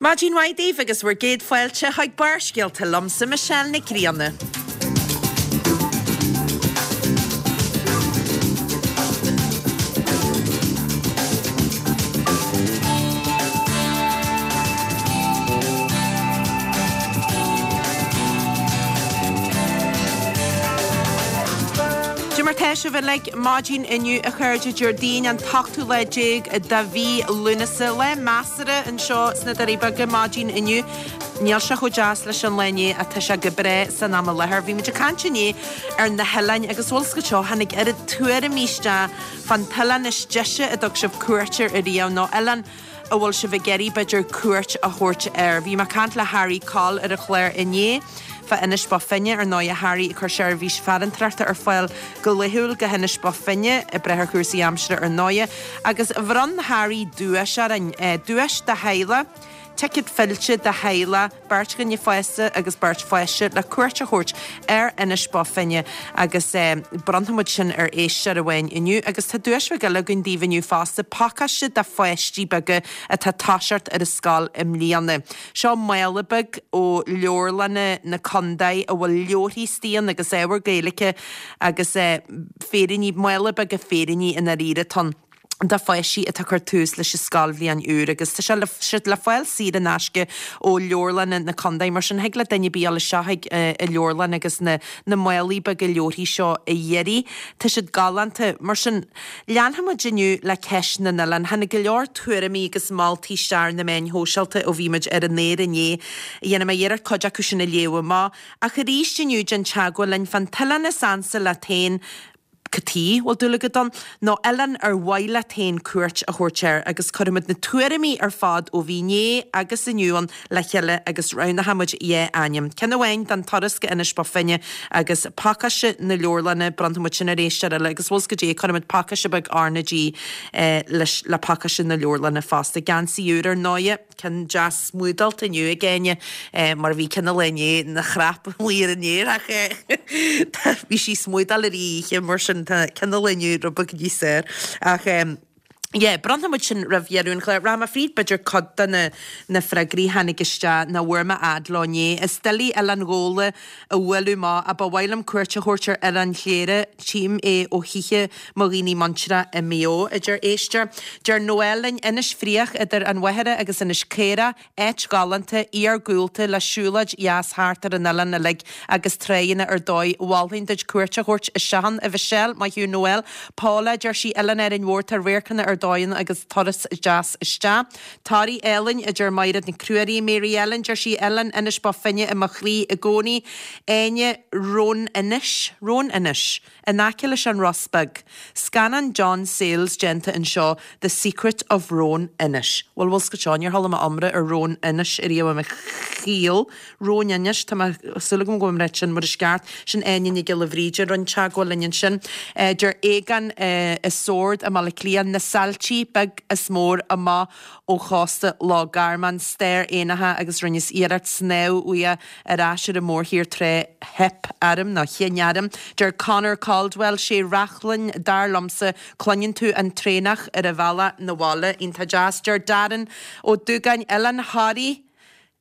Maidin mhaith daoibh agus bhur gcéad fáilte chuig Barrscéalta liomsa, Michelle Nic Grianna. Cad é mar tá sibh uilig maidin inniu a chairde Déardaoin an t-ochtú lá déag de mhí Lúnasa, lá measartha anseo sna Doirí Beaga maidin inniu. Níl sé chomh deas leis an lá inné ach tá sé go breá san am i láthair. Bhí muid ag caint inné ar na hoileáin agus bhfuil 's agat seo, tháinig oiread tuairimí isteach fán t-oileán is deise a dtug sibh cuairt air ariamh nó oileán a bhfuil sibh ag iarraidh, b'fhéidir, cuairt a thabhairt air. Bhí mé ag caint le Harry Coll ar an chlár inné fá Inis Bó Finne, ar ndóighe, Harry ag cur seirbhís farantóireachta ar fáil go laethúil go hInis Bó Finne, ag brath ar chúrsaí aimsire ar ndóighe, agus bhronn Harry duais orainn, duais do theaghlach, ticéad fillte do theaghlach, beirt dhuine fásta agus beirt pháiste le cuairt a thabhairt ar Inis Bó Finne agus bronnfaidh muid sin ar éisteoir amháin inniu agus tá duais bheag eile againn daoibh inniu fosta, pacáiste do pháistí beaga atá ag toiseacht ar an scoil i mbliana. Seo mála beag ó leabharlanna na contae a bhfuil leabharthaí istigh ann agus ábhar Gaeilge agus féiríní, mála beaga féiríní i ndáiríre atá ann. do pháistí atá ag cur tús leis an scoilbhliain úr agus tá sé siad le fáil saor in aisce ó leabharlanna na contae. Mar sin, thig le duine ar bith dul isteach chuig an leabharlann agus na na málaí beaga leabharthaí seo a iarraidh. Tá siad galánta. Mar sin, leanfaidh muid inniu le ceist na n-oileán. Tháinig go leor tuairimí agus moltaí isteach ar na meáin shóisialta ó bhí muid ar an aer inné. Dhéanfaidh mé iarracht cuid acu sin a léamh amach. Ach arís inniu, déan teagmháil linn fán t-oileán is ansa leat féin, Cad chuige a bhfuil dúil agat ann, nó oileán ar mhaith leat féin cuairt a thabhairt air agus cuirfimid na tuairimí ar fad ó bhí inné agus inniu ann le chéile agus roghnóidh muid dhá ainm, ceann amháin don turas go Inis Bó Finne agus pacáiste na leabharlainne, bronnfaidh muid sin ar éisteoir eile agus bhfuil 's goidé, cuirfimid pacáiste beag RnaG leis le pacáiste na leabharlainne fosta. Geansaí úr ar ndóighe. Ceann deas smúdálta inniu ag Áine, mar bhí ceann an lae inné ina chnap amuigh ar an aer ach bhí sí smúdáil ar oíche mar sin tá ceann an lae inniu rud beag níos fearr. Ach yeah, bronnfaidh muid sin roimh dheireadh an chláir. Rachaidh mé fríd b'fhéidir cuid de na na freagraí a tháinig isteach nach bhfuair mé fhad leo inné. Is doiligh Oileán Ghabhla a bhualadh amach ach ba mhaith liom cuairt a thabhairt ar Oileán Chléire, tchím é ó thithe mo dhaoine muintire i Maigh Eo, a deir éisteoir. Deir Noel linn, Inis Fraoch idir an Mhachaire agus Inis Caorach, áit ghalánta, iargúlta le siúlóid dheas thart ar an oileán uilig agus tráigheanna ar dóigh. Mholfainn duit cuairt a thabhairt isteach ann, a Mhichelle. Maith thú Noel. Paula, deir sí, Oileán Árainn Mhór, tá radharcanna ar dóigh ann agus turas deas isteach. Toraigh álainn, a deir Maighread Nic Ruairí. Mary Ellen, deir sí, Oileán Inis Bó Finne i mo chroí i gcónaí. Áine, Roan Inis, Roan Inis. In aice leis an Ros Beag. Scannán John Sayles déanta anseo The Secret of Roan Inish. Bhuel, bhfuil 's agat seo, níor chuala mé iomrá ar Roan Inish ariamh i mo shaol. Roan Inish, tá mé, súil agam go bhfuil mé ag ráit sin mar is ceart. Sin Áine Nic Giolla Bhríde a rinne teagmháil linn ansin. Deir Aogán i Sord i mBaile Átha Cliath, Na Sailtí, beag is mór, amach ó chósta Loch Garman, stair éanacha agus rinneas iarracht snámh uaidh ar ais ar an mórthír tráth theip orm, nó chinn orm. Deir Conor Caldwell, sé Reachlainn, dar liomsa, cluineann tú an traonach ar a bhealach 'na bhaile. Iontach deas. Deir Darren Ó Dúgáin, Oileán Thoraí,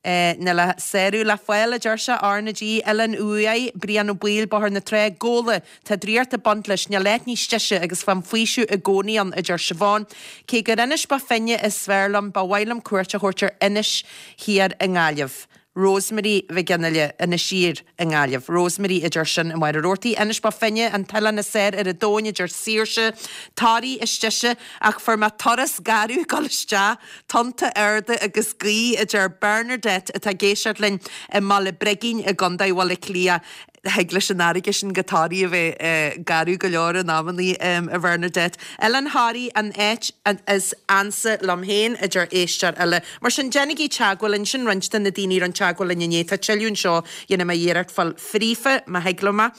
níl a sárú le fáil, a deir sé, R na G, Oileán Uaighe, Brian Ó Baoill, Bóthar na Trá, Gabhla, tá draíocht ag baint leis, níl áit níos deise agus faighim faoiseamh i gcónaí ann, a deir Siobhán. Cé gur Inis Bó Finne is fearr liom, ba mhaith liom cuairt a thabhairt ar Inis Thiar i nGaillimh. Rosemary Mhic Fhionnaile, Inis Oírr i nGaillimh. Rosemary a deir sin i Machaire Rabhartaigh. Inis Bó Finne, an t-oileán is fearr ar an domhain a deir Saoirse. Toraigh is deise ach fuair mé turas garbh ag dul isteach, tonnta arda agus gaoth a deir Bernadette atá ag éisteacht linn i mBaile Brigín i gContae Bhaile Átha Cliath. Thig leis an fharraige sin go Toraigh a bheith garbh go leor in amannaí, a Bhernadette. Oileán Thoraí an áit is ansa liom féin, a deir éisteoir eile. Mar sin, déanaigí teagmháil linn. Sin roinnt de na daoine a rinne teagmháil linn inné. Tá tuilleadh anseo, dhéanfaidh mé iarracht fáil fríofa, má thig liom é.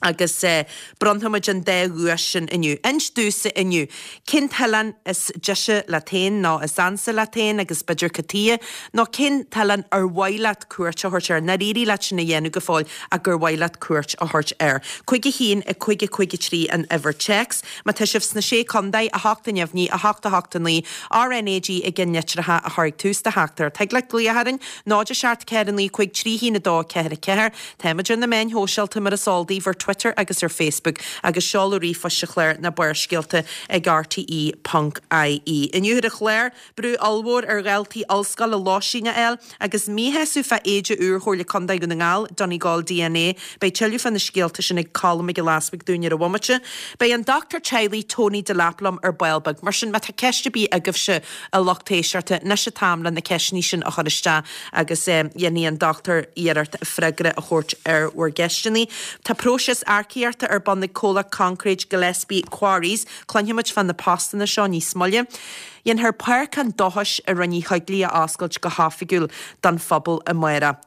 Agus bronnfaimid an dá dhuais sin inniu. Inis domhsa inniu, cén t-oileán is deise leat féin nó is ansa leat féin agus b'fhéidir cad tuighe, nó cén t-oileán ar mhaith leat cuairt a thabhairt air, nár éirigh leat sin a dhéanamh go fóill ach gur mhaith leat cuairt a thabhairt air. 5 1 5 5 3 an uimhir téacs. Má tá sibh sna Sé Contae, 8 neamhní, 8 8 9, RnaG i gceannlitreacha a chur ag tús do theachtaireacht. Thig leat glaoch orainn, 0 7 4 9 5 3 1 2 4 4. Táimid ar na meáin shóisialta mar is eol daoibh, ar Twitter agus ar Facebook, agus seoladh ríomhphoist sa chlár na Barrscéalta ag rte ponc ie. Inniu ar an chlár, brú ollmhór ar dhaltaí ollscoile lóistín a fháil agus míshásamh fá éide úr Chomhairle Contae Dhún na nGall, Donegal DNA. Beidh tuilleadh fá na scéalta sin ag Colm Mac Giolla Easbuig dúinn ar an bhomaite. Beidh an dochtúir teaghlaigh Tony Delap liom ar ball beag. Mar sin, má tá ceist ar bith agaibhse, a lucht éisteachta, anois an t-am le na ceisteanna sin a chur isteach agus dhéanfaidh an dochtúir iarracht freagra a thabhairt ar bhur gceisteanna. Tá próiseas earcaíochta ar bun ag comhlacht concréid Gillespie Quarries. Cluinfimid fá na postanna seo níos moille. Dhéanfar Páirc an Dóchais i Rinn Uí Choigligh a oscailt go hoifigiúil don phobal amárach.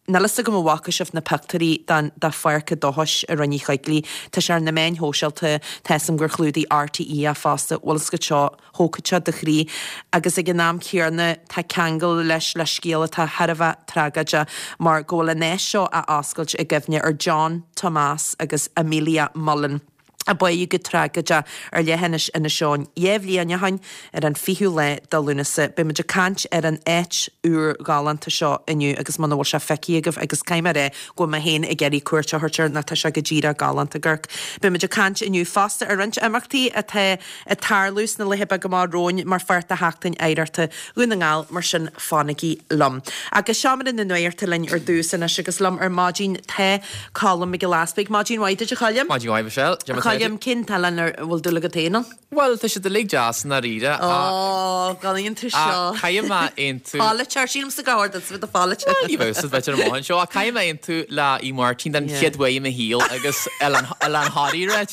Níl fhios agam an bhfaca sibh na pictiúirí den de Pháirc a' Dóchais i Rinn Uí Choigligh. Tá sé ar na meáin shóisialta, tá fhios agam gur chlúdaigh RTÉ é fosta, bhfuil fhios agat seo, thógfadh sé do chroí. Agus ag an am céanna tá ceangal leis le scéal atá thar a bheith tragóideach mar go bhfuil an áit seo á oscailt i gcuimhne ar John, Tomás agus Amelia Mullen. a báitheadh go tragóideach ar leithinis Inis Eoghain 2 bhliain ó shin ar an 20ú lá de Lúnasa. Beidh muid ag caint ar an áit úr ghalánta seo inniu agus muna bhfuil sé feicthe agaibh agus caithfidh mé a rá go bhfuil mé féin ag iarraidh cuairt a thabhairt air nó tá sé go díreach galánta ag amharc. Beidh muid ag caint inniu fosta ar roinnt imeachtaí atá ag tarlú sna laetha beaga amach romhainn mar pháirt de Sheachtain Oidhreachta Dhún na nGall, mar sin fanaigí liom. Agus Seomra na Nuachta linn ar dtús anois agus liom ar maidin tá Colm Mac Giolla Easbuig. Maidin mhaith duit a Choilm. Maidin mhaith Michelle. A Choilm, cén t-oileán a bhfuil dúil agat féin ann? Bhuel, tá siad uilig deas i ndáiríre. Ó, gan aontú seo. Ach caithfidh mé aontú. Polaiteoir, sílimse gur chóir duit a bheith i do pholaiteoir. Bhuel, ní bheadh siad b'fhéidir amach anseo ach caithfidh mé aontú le Uí Mháirtín den chéad uair i mo shaol agus Oileán Thoraí, right?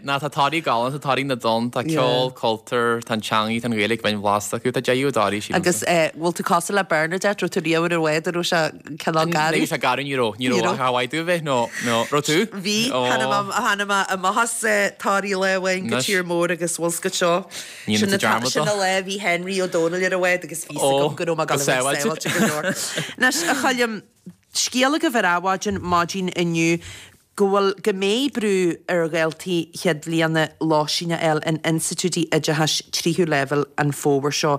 Ná tá Toraigh galánta, tá Toraigh na dTonn, tá ceol, cultúr, tá an teangaidh, tá an Ghaeilge binn bhlasta acu, tá deireadh i dToraigh, sílimse. Agus bhfuil tú cosúil le Bernadette, raibh tú riamh ar an bhád a raibh sé cineál garbh? Ní raibh sé garbh, ní raibh, ní raibh, ach ar mhaith domh a bheith, nó, nó, raibh tú? Bhí, tháinig mé amach as Toraigh lá amháin go tír mór agus bhfuil 's agat seo, sin an lá a bhí Henry Ó Domhnaill ar an bhád agus bhí 's agam go raibh mé ag dul a bheith sábháilte go leor. Anois, a Choilm, scéal agaibh ar Adhmhaidin maidin inniu, go bhfuil, go mbeidh brú ar dhaltaí chéad bhliana lóistín a fháil in institiúidí oideachais tríú leibhéal an fómhar seo.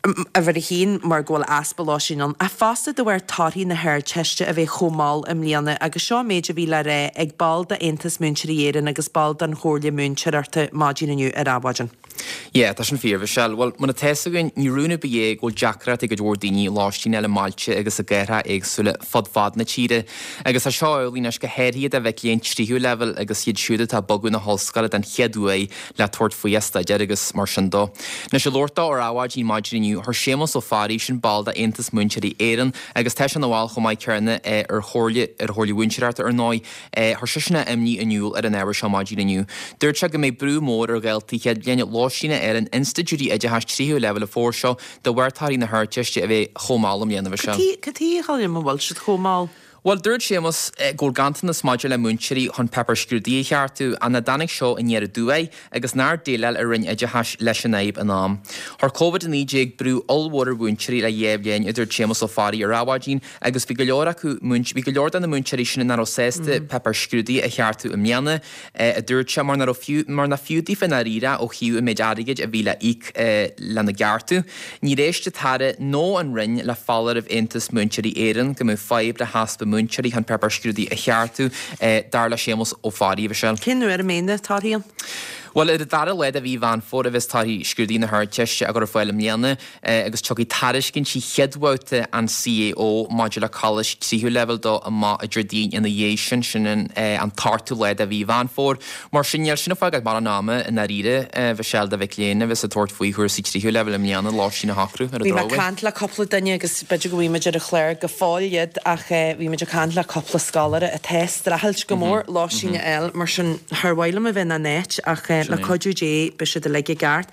Uimhir a haon, mar go bhfuil easpa lóistín ann, ach fosta de bharr torthaí na hArdteiste a bheith chomh mall i mbliana agus seo an méid a bhí le rá ag ball d'Aontas Múinteoirí Éireann agus ball den Chomhairle Múinteoireachta maidin inniu ar Adhmhaidin. Yeah, tá sin fíor, Michelle. Bhuel, mar atá fhios againn, ní rún ar bith é go bhfuil deacracht ag cuid mhór daoine lóistín a fháil i mbailte agus i gcathracha éagsúla fud fad na tíre. Agus tá seo amhlaidh anois go háirithe do mhic léinn tríú leibhéal agus iad siúd atá ag bogadh na hollscoile den chéad uair le tabhairt faoi a staidéar agus mar sin dó. Anois, ag labhairt dó ar Adhmhaidin maidin inniu, chuir Séamus Ó Fearraigh, sin ball d'Aontas Múinteoirí Éireann agus tá sé ina bhall chomh maith céanna ar Chomhairle ar Chomhairle Mhúinteoireachta ar ndóigh, Chuir seisean a imní in iúl ar an ábhar seo maidin inniu. Dúirt sé go mbeidh brú mór ar dhaltaí chéad bhliana lóistín a fháil in institiúidí oideachais tríú leibhéal an fómhar seo de bharr torthaí na hArdteiste a bheith chomh mall i mbliana. Cad chuige, a Choilm, a bhfuil siad chomh mall? Bhuel, dúirt Séamus go bhfuil ganntanas maidir le múinteoirí chun páipéir scrúdaithe a cheartú, ach nach dtáinig seo aniar aduaidh agus nár déileáil an Roinn Oideachais leis an fhadhb in am. Chuir Covid-19 brú ollmhór ar mhúinteoirí le dhá bhliain, a dúirt Séamus Ó Fearraigh ar Adhmhaidin, Agus bhí go leor acu, bhí go leor de na múinteoirí sin nach raibh sásta páipéir scrúdaithe a cheartú i mbliana, a dúirt sé, mar nach raibh fiú, mar nach fiú daofa i ndáiríre ó thaobh an méid airgid a bhí le íoc lena gceartú. Níor éist an tAire nó an Roinn le foláireamh Aontas Múinteoirí Éireann go mbeadh fadhb le heaspa múinteoirí chun páipéir scrúdaithe a cheartú, dar le Séamus Ó Fearraigh. Michelle. Cén uair a mbeidh na torthaí ann? Bhuel, ar an dara lá de mhí Mheán Fómhair a bheas torthaí scrúdaithe na hArdteiste á gcur ar fáil i mbliana. agus tiocfaidh tairiscintí chéad bhabhta an CAO maidir le coláistí tríú leibhéal dó amach Déardaoin ina dhiaidh sin, sin an t-ochtú lá de mhí Mheán Fómhair. Mar sin, níl sin ag fágáil mórán ama i ndáiríre, a Mhichelle, do mhic léinn a bheas ag tabhairt faoi chúrsaí tríú leibhéal i mbliana, lóistín a shocrú ar an Bhí mé ag drochuair. caint le cúpla duine agus b'fhéidir go bhfaighidh muid ar an chlár go fóill iad ach bhí muid ag caint le cúpla scoláire atá ag streachailt go mór lóistín a fháil, mar sin char mhaith liom a bheith ina n-áit ach. Le cuidiú Dé beidh siad uilig i gceart.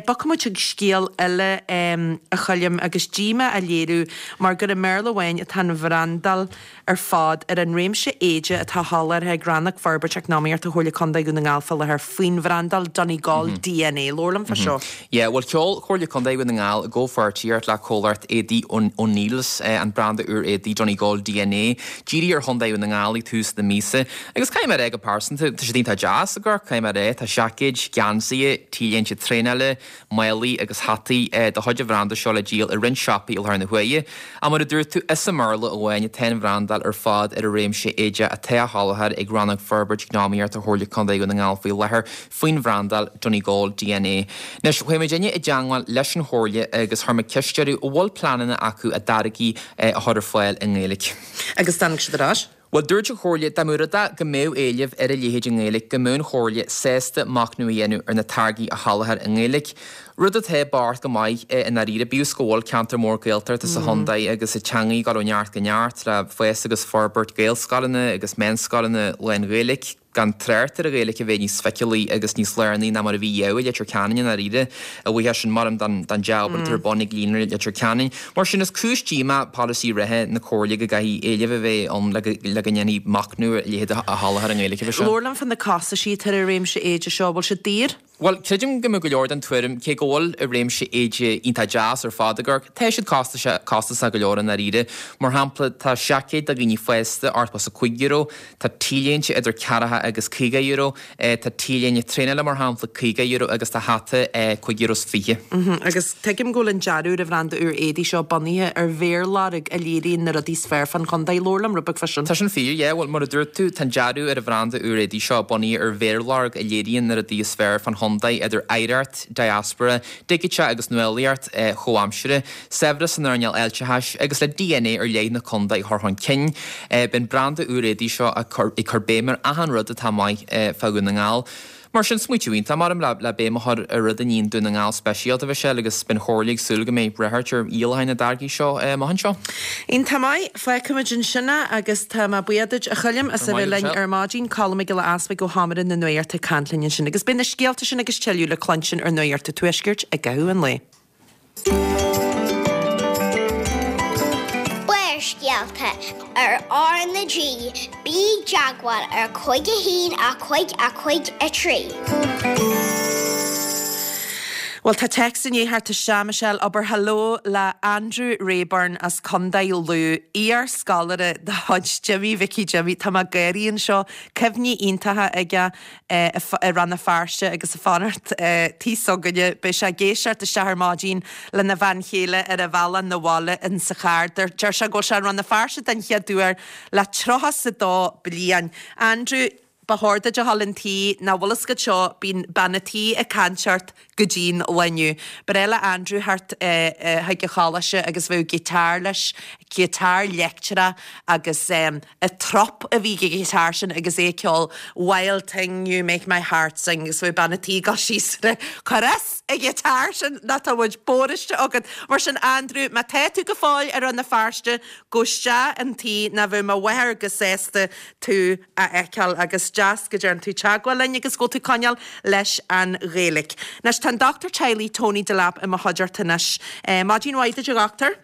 Bogfaidh muid chuig scéal eile a Choilm agus díomá á léiriú mar gur i mBéarla amháin atá an bhrandáil ar fad ar an réimse éide atá soláthartha ag Rannóg Forbairt Eacnamaíochta Chomhairle Contae Dhún na nGall fá láthair faoin bhrandáil Donegal DNA. Labhair liom fá seo. Yeah, bhuel sheol Comhairle Contae Dhún na nGall i gcomhpháirtíocht le comhlacht éadaí O'Neill's an branda úr éadaí Donegal DNA dírithe ar Chontae Dhún na nGall ag tús na míosa. Agus caithfidh mé a rá go pearsanta, tá siad iontach deas ag amharc, caithfidh mé a rá. Tá seaicéid, geansaithe, T-léinte traenála, málaí agus hataí de chuid an bhranda seo le díol i roinnt siopaí i láthair na huaire. Ach mar a dúirt tú, is i mBéarla amháin atá an bhrandáil ar fad ar an réimse éide atá á sholáthar ag Rannóg Forbairt Eacnamaíochta Chomhairle Contae Dhún na nGall faoi láthair faoin bhrandáil Donegal DNA. Anois, chuaigh muidinne i dteangmháil leis an Chomhairle agus chuir muid ceist orthu an bhfuil pleananna acu a dtáirgí a chur ar fáil i nGaeilge. Agus tháinig siad ar ais. Bhuel, dúirt an Chomhairle dá mba rud é go mbeadh éileamh ar a leithéid i nGaeilge go mbeadh an Chomhairle sásta machnamh a dhéanamh ar na táirgí a sholáthar i nGaeilge. Rud atá beart go maith i ndáiríre, bíodh is go bhfuil ceantar mór Gaeltachta sa chontae agus an teangaidh ag dul ó neart go neart le fás agus forbairt Gaelscoileanna agus meánscoileanna lán-Ghaeilge. Gan trácht ar an Ghaeilge a bheith níos feiceálaí agus níos lárnaí ná mar a bhí riamh i Leitir Ceanainn i ndáiríre, a bhuíochas sin, maram, don dea-obair atá ar bun ag Líonra Leitir Ceanainn. Mar sin, is cúis díomá polasaí reatha na Comhairle go gcaithfidh éileamh a bheith ann le go ndéanfaí machnamh ar a leithéid a sholáthar i nGaeilge. Labhair liom fá na costaisí atá ar an réimse éide seo, bhfuil siad daor? Bhuel, creidim go mbeadh go leor den tuairim, cé go bhfuil an réimse éide iontach deas ar fad ag amharc, tá siad costasach go leor i ndáiríre. Mar shampla, tá seaicéad do dhaoine fásta €85, tá T-léinte idir ceathracha agus €50, tá T-léine traenála mar shampla €50 agus tá hata €5.20. Agus tuigim go bhfuil an dearadh ar an bhranda úr éadaí seo bunaithe ar mhéarlorg a léiríonn na rudaí is fearr fán chontae. Labhair liom rud beag fá sin. Tá sin fíor, yeah. Bhuel, mar a dúirt tú, tá an dearadh ar an bhranda úr éadaí seo bunaithe ar mhéarlorg a léiríonn na rudaí is fearr fán chontae, idir oidhreacht, diaspora, digiteach agus nuálaíocht chomhaimseartha, saibhreas san earnáil fháilteachais agus le DNA ar leith na contae a chur chun cinn. Beidh an branda úr éadaí seo ag cur béim ar achan rud atá maith fá Dhún na nGall. Mar sin, smaoitiú iontach, maram, le béim a chur ar rud a níonn Dún na nGall speisialta, a Mhichelle, agus beidh an Chomhairle ag súil go mbeidh ráchairt ar dhíolacháin na dtáirgí seo amach anseo. Iontach maith. Fágfaimid ansin é agus tá mé buíoch duit, a Choilm, as a bheith linn ar maidin. Colm Mac Giolla Easbuig ó Sheomra na Nuachta ag caint linn ansin. Agus beidh na scéalta sin agus tuilleadh le cluinstin ar Nuacht an Tuaiscirt i gcaitheamh an lae. Barrscéalta ar R na G, bí i dteagmháil ar 5 1 5 5 3. Bhuel, tá téacs i ndiaidh theacht isteach, Michelle, abair hello le Andrew Rayburn as Contae Lú, iar-scoláire de chuid Jimmy Mhicí Jimmy. Tá mé ag gáirí anseo. Cuimhní iontacha aige. i Rann na Feirste agus ag fanacht tí s'againne. Beidh sé ag éisteacht isteach ar maidin lena bhean chéile ar a bhealach 'na bhaile in sa charr. Deir sé go bhfuil sé i Rann na Feirste den chéad uair le tríocha 's a dó bliain. Andrew, ba chóir duit a dhul 'un tí, ná bhfuil fhios agat seo, bíonn bean a' tí ag caint ort go dian lá inniu. Ba bhreá le Andrew theacht chuig an choláiste agus bheadh giotár leis, giotár leictreach agus an trup a bhí ag an ghiotár sin agus é ag ceol Wild Thing You Make My Heart Sing agus bheadh bean a' tí ag dul síos air cuir as an ghiotár sin nó tá muid bóraiste agat. Mar sin Andrew, má tá tú go fóill i Rann na Feirste, gabh isteach 'un tí nó bheadh mo mháthair go sásta tú a fheiceáil agus deas go dtearn tú teagmháil linn agus go bhfuil tú ag coinneáil leis an Ghaeilge. Anois tá an Dochtúir Teaghlaigh Tony Delap i mo chuideachta anois. Maidin mhaith duit a dhochtúir.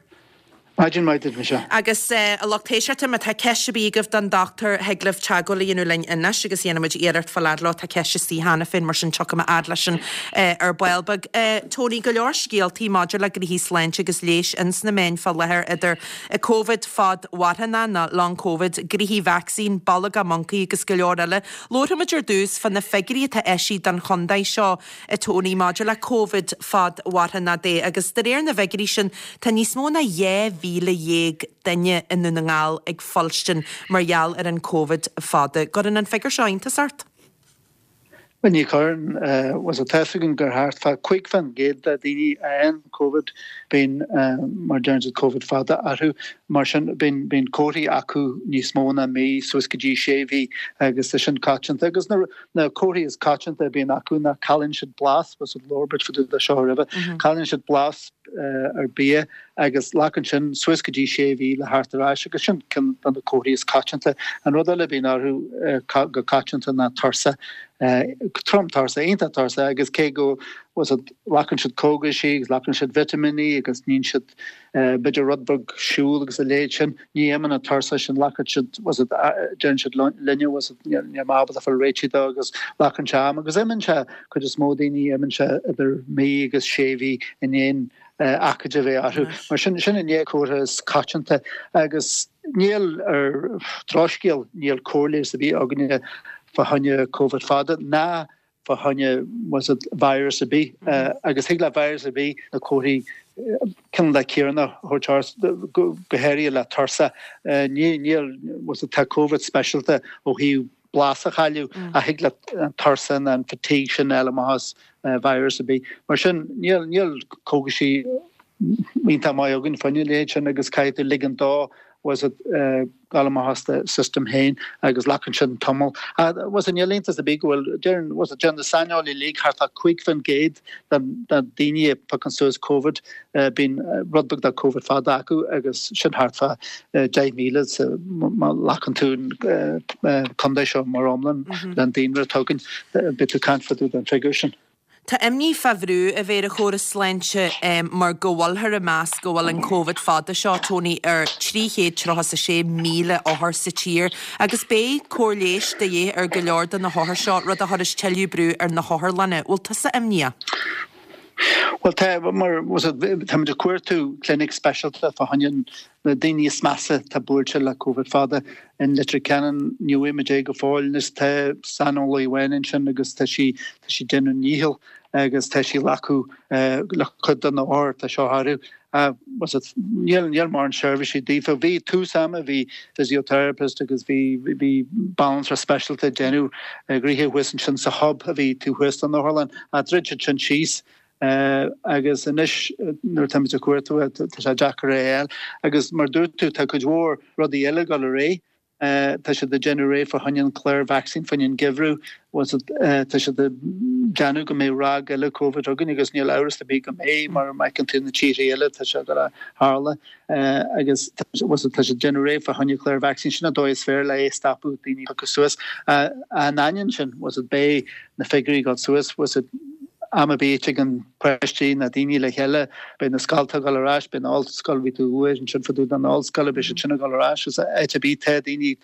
Maidin mhaith duit, Michelle. Agus a lucht éisteachta, má tá ceist ar bith agaibh don dochtúir, thig libh teagmháil a dhéanamh linn anois agus dhéanfaidh muid iarracht fáil fhad leo. Tá ceist istigh cheana féin, mar sin tiocfaidh mé fhad leis sin ar ball beag. Tony, go leor scéaltaí maidir le gnoithí sláinte agus leighis ins na meáin fá láthair idir Covid fadmharthanach nó Long Covid, gnoithí vacsaín, bolga moncaí agus go leor eile. Labharfaimid ar dtús fá na figiúirí atá eisithe don chontae seo. a Tony, maidir le Covid fadmharthanach de agus de réir na bhfigiúirí sin tá níos mó ná 12,000 duine i nDún na nGall ag fuilstin mar gheall ar an Covid fada. Gcuireann an figiúr seo iontas ort? Bhuel ní chuireann. Bhuel tá fhios againn gur thart fá 5% de daoine a fhaigheann Covid. Bíonn, mar a deireann siad, Covid fada orthu. Mar sin, bíonn, bíonn comharthaí acu níos mó ná mí, suas go dtí sé mhí agus tá sin coitianta. Agus na, na comharthaí is coitianta a bhíonn acu ná cailleann siad blas, bhfuil a fhios agat, labhair muid fá dtaobh de seo roimhe, cailleann siad blas ar bia agus glacann sin suas go dtí sé mhí le theacht ar ais agus sin ceann de na comharthaí is coitianta. An rud eile a bhíonn orthu go coitianta ná tuirse, trom tuirse, iontach tuirse agus cé go bhfuil a fhios agat, glacann siad cógaisí agus glacann siad vitimíní agus níonn siad b'fhéidir rud beag siúl agus a leithéid sin, ní imíonn an tuirse sin, glacann siad, bhfuil a fhios agat, deireann siad linne, bhfuil a fhios agat, níl mé ábalta fáil réitithe dó agus glacann sé am agus imíonn sé, cuid is mó daoine, imíonn sé idir mí agus sé mhí i ndiaidh aicíd a bheith orthu. Mar sin, sin an dá chomhartha is coitianta agus níl, ar drochscéal, níl cóir leighis ar bith againne fá choinne Covid fada ná fá choinne bhfuil a fhios agat virus ar bith agus thig le virus ar bith na comharthaí cineál céanna a thabhairt ort, go háirithe le tuirse. Níl, bhfuil a fhios agat, tá Covid speisialta ó thaobh blas a chailleadh ach thig le an tuirse nó an fatigue sin a fháil amach as virus ar bith. Mar sin, níl, níl cógaisí iontach maith againn fá choinne a leithéid sin agus caithfidh tú ligean dó bhfuil a fhios agat, gabháil amach as do system féin agus glacann sin tamall. Bhfuil a fhios agat, níl iontas ar bith go bhfuil, deireann, bhfuil a fhios agat, deireann na saineolaithe uilig thart fá 5% den daoine a phiocann suas Covid, bíonn rud beag de Covid fada acu agus sin thart fá 10,000 sa, má ghlacann tú an contae seo mar iomlán le an daonra atá againn, beidh tú ag caint fá dtaobh den figiúr sin. Tá imní fá bhrú a bheith ar an chóras sláinte mar go bhfuilthear ag meas go bhfuil an Covid fada seo, Tony, ar 336,000 othar sa tír agus beidh cóir leighis de dhíth ar go leor de na hothair seo, rud a chuirfeas tuilleadh brú ar na hotharlanna. Bhfuil tusa imníoch? Bhuel tá, mar táimid ag cuartú clinic speisialta fá choinne na daoine is measa atá buailte le Covid fada. In Leitir Ceanainn ní bhfaighimid é go fóill anois. Tá saineolaí amháin ansin agus tá sí tá sí ag déanamh a ndícheall agus tá sí ag glacadh le cuid de na hothair atá seo orthu. Níl níl mórán seirbhísí daofa. Bhí tús ama, bhí physiotherapist agus bhí bhí banaltra speisialta ag déanamh gnoithe thuas ansin sa hub a bhí taobh thuas den otharlann. Ach dhruid siad sin síos agus anois nuair atáimid ag cuartú tá sé deacair é a fháil. Agus mar dúirt tú tá cuid mhór rudaí eile ag dul ar aghaidh. Tá siad ag déanamh réidh fá choinne an clár vacsaín fá choinne an geimhreadh. Tá siad ag déanamh go mbeidh ráig eile Covid againn agus níl amhras ar bith go mbeidh mar má fheiceann tú na tíortha eile tá sé ag dul a tharla agus tá siad ag déanamh réidh fá choinne clár vacsaín. Sin an dóigh is fearr le é a stopadh daoine a phiocadh suas. In ainneoin sin beidh na figiúirí ag dul suas. Am ar bith a dtigeann páistí nó daoine le chéile, beidh na scolta ag dul ar ais, beidh na ollscoil, bhí tú uair ansin fá dtaobh den ollscoil, beidh siad sin ag dul ar ais. Is áit ar bith tá daoine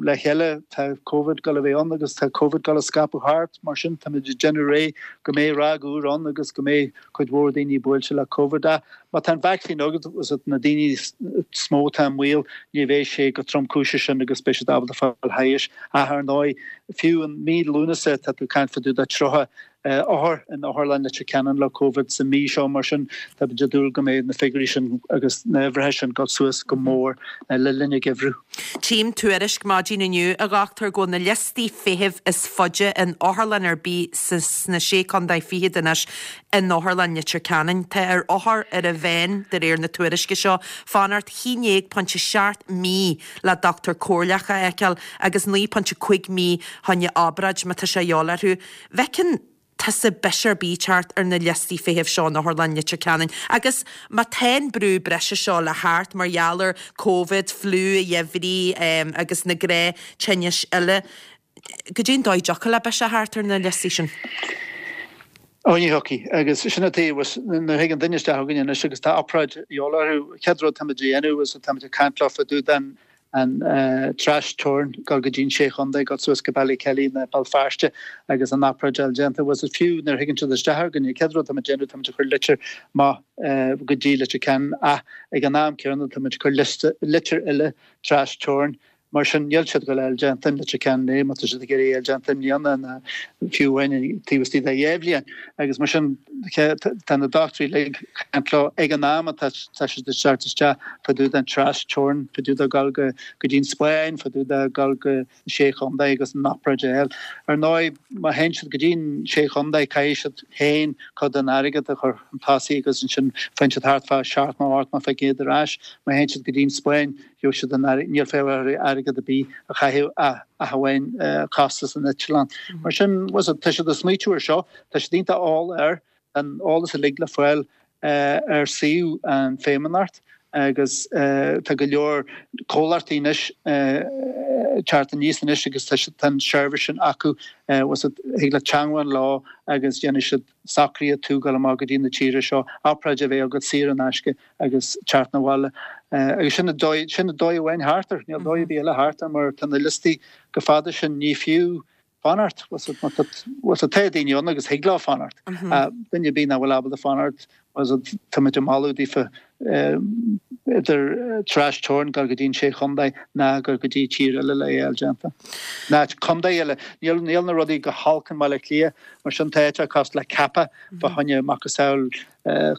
le chéile, tá Covid ag dul a bheith ann agus tá Covid ag dul a scaipeadh thart, mar sin táimid ag déanamh réidh go mbeidh ráig úr ann agus go mbeidh cuid mhór daoine buailte le Covid. Ach má tá an vacsaín agat, na daoine is mó atá i mbaol, ní bheidh sé chomh tromchúiseach sin agus beidh siad ábalta fáil thairis. Ach ar ndóigh, fiú i mí Lúnasa, tá tú ag caint fá dtaobh de 30 othar in Otharlann Leitir Ceanainn le Covid sa mí seo, mar sin táimid ag dúil go mbeidh na figiúirí sin agus na huimhreacha sin ag dul suas go mór le linn an gheimhridh. Tchím tuairisc maidin inniu, a dhochtúir, go bhfuil na liostaí feithimh is faide in otharlann ar bith sna Sé Contae Fichead anois in Otharlann Leitir Ceanainn. Tá ar othar ar an mheán, de réir na tuairisce seo, fanacht 11.7 mí le dochtúir comhairleach a fheiceáil agus 9.5 mí choinne obráid má tá sé a dhíobháil orthu. Bhfeiceann tusa biseach ar bith teacht ar na liostaí feithimh seo in Otharlann Leitir Ceanainn agus má tá an brú breise seo le theacht mar gheall ar Covid, fliú an gheimhridh agus na gnáth-tinnis eile, goidé an dóigh a dtiocfadh le biseach a theacht ar na liostaí sin? Ó ní thiocfaidh. Agus sin an taobh, nuair a thigeann duine isteach chugainn anois agus tá obráid de dhíobháil orthu, chéad rud táimid a dhéanamh is táimid ag caint leo fá dtaobh den an trasteorainn, dul go dtí an Sé Chontae, dul suas go Ballykelly nó Béal Feirste agus an obráid a fháil déanta. Bhuel, fiú nuair a thigeann siad isteach chugainn, an chéad rud táimid a dhéanamh, táimid ag cur litir amach go dtí Leitir Ceanainn ach ag an am céanna táimid ag cur litir eile trasteorainn. Mar sin, níl siad ag goil a fháil déanta i Leitir Ceanainn má tá siad ag iarraidh é a fháil déanta i mbliana ná fiú amháin taobh istigh de dhéá bhliain. Agus mar sin, tá na dochtúirí uilig ag caint leo ag an am atá siad ag teacht isteach fá dtaobh den tras-teorainn, fá dtaobh de dhul go dtí an Spáinn, fá dtaobh de dhul go Sé Chontae agus an obráid a fháil. Ar ndóigh, má théann siad go dtí an Sé Chontae, caithfidh siad féin cuid den airgead a chur chun tosaigh agus ansin faigheann siad thart fá 70 nó 80% ar ais. Má théann siad go dtí an Spáinn, gheobhaidh siad an airgead, níl fonn orthu airgead ar bith a chaitheamh ach amháin costas an eitleáin. Mar sin, tá siad ag smaoitiú ar seo, tá siad iontach eolach air, an eolas uilig le fáil ar suíomh an Feidhmeannacht agus tá go leor comhlachtaí anois ag teacht aníos anois agus tá an seirbhís sin acu, thig leat teangmháil leo agus déanfaidh siad socruithe tú dul amach go dtí na tíre seo, obráid a bheith agat saor in aisce agus teacht 'na bhaile. Agus sin an dóigh, sin an dóigh amháin thart air, níl dóigh ar bith eile thart air mar tá na liostaí chomh fada sin, ní fiú fanacht, bhfuil tá daoine ann agus thig leo fanacht. Duine ar bith nach bhfuil ábalta fanacht, tá muid ag moladh daofa idir tras-teorainn dul go dtí an Sé Chontae ná dul go dtí tír eile le é a fháil déanta. Ná contae eile. Níl níl na rudaí go holc i mBaile Átha Cliath, mar sin tá áit cosúil le Cappagh fá choinne macasamhail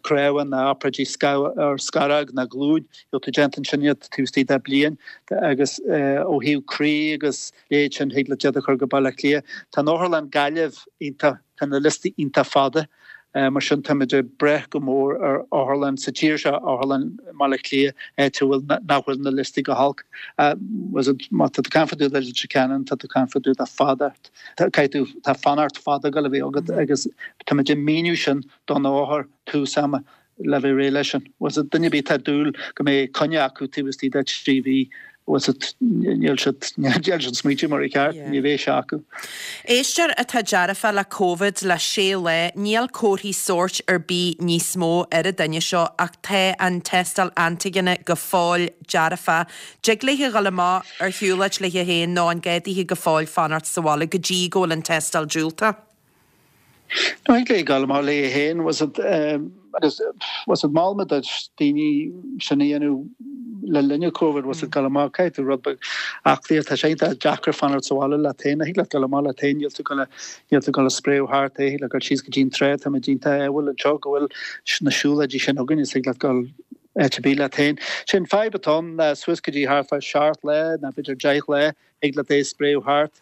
cnámha ná obráidí ar scaróg ná glúin, gheobhaidh tú déanta ansin iad taobh istigh de bliain agus ó thaobh croí agus leithéid sin thig leat iad a chur go Baile Átha Cliath. Tá an otharlann Gaillimh iontach, tá na liostaí iontach fada, mar sin táimid ag brath go mór ar otharlann sa tír seo, otharlann i mBaile Átha Cliath, áit a bhfuil, nach bhfuil na liostaí go holc. Má tá tú ag caint fá dtaobh de Leitir Ceanainn, tá tú ag caint fá dtaobh de fanacht, caithfidh tú, tá fanacht fada ag goil a bheith agat agus táimid ag míniú sin don othar tús ama le bheith réidh leis sin. Bhfuil fhios agat, duine ar bith atá ag dúil go mbeidh coinne acu taobh istigh de thrí mhí, bhfuil fhios agat, níl siad, níl siad smaointiú mar a cheart, ní bheidh sé acu. Éisteoir atá dearfa le Covid le sé lá, níl comharthaí sóirt ar bith níos mó ar an duine seo ach tá an tástáil antaigine go fóill dearfa. Dtig léithe dhul amach ar shiúlóid léithe féin nó an gá daoithe go fóill fanacht sa bhaile go dtí go bhfuil an tástáil diúltach? No, thig léi dul amach léi féin, bhfuil fhios agat, agus bhfuil fhios agat, mhol mé do daoine sin a dhéanamh le linn an Covid, bhfuil fhios agat, dul amach, caithfidh tú rud beag aclaíocht, tá sé iontach deacair fanacht sa bhaile leat féin, thig leat dul amach leat féin, níl tú ag níl tú ag dul a spréadh thart é, thig leat dul síos go dtí an trá, tá muid iontach ádhúil anseo go bhfuil na siúlóidí sin againn, is thig leat dul áit ar bith leat féin. Sé an fadhb atá ann ná suas go dtí thart fá seacht lá, nó b'fhéidir deich lá, Thig leat é a spréadh thart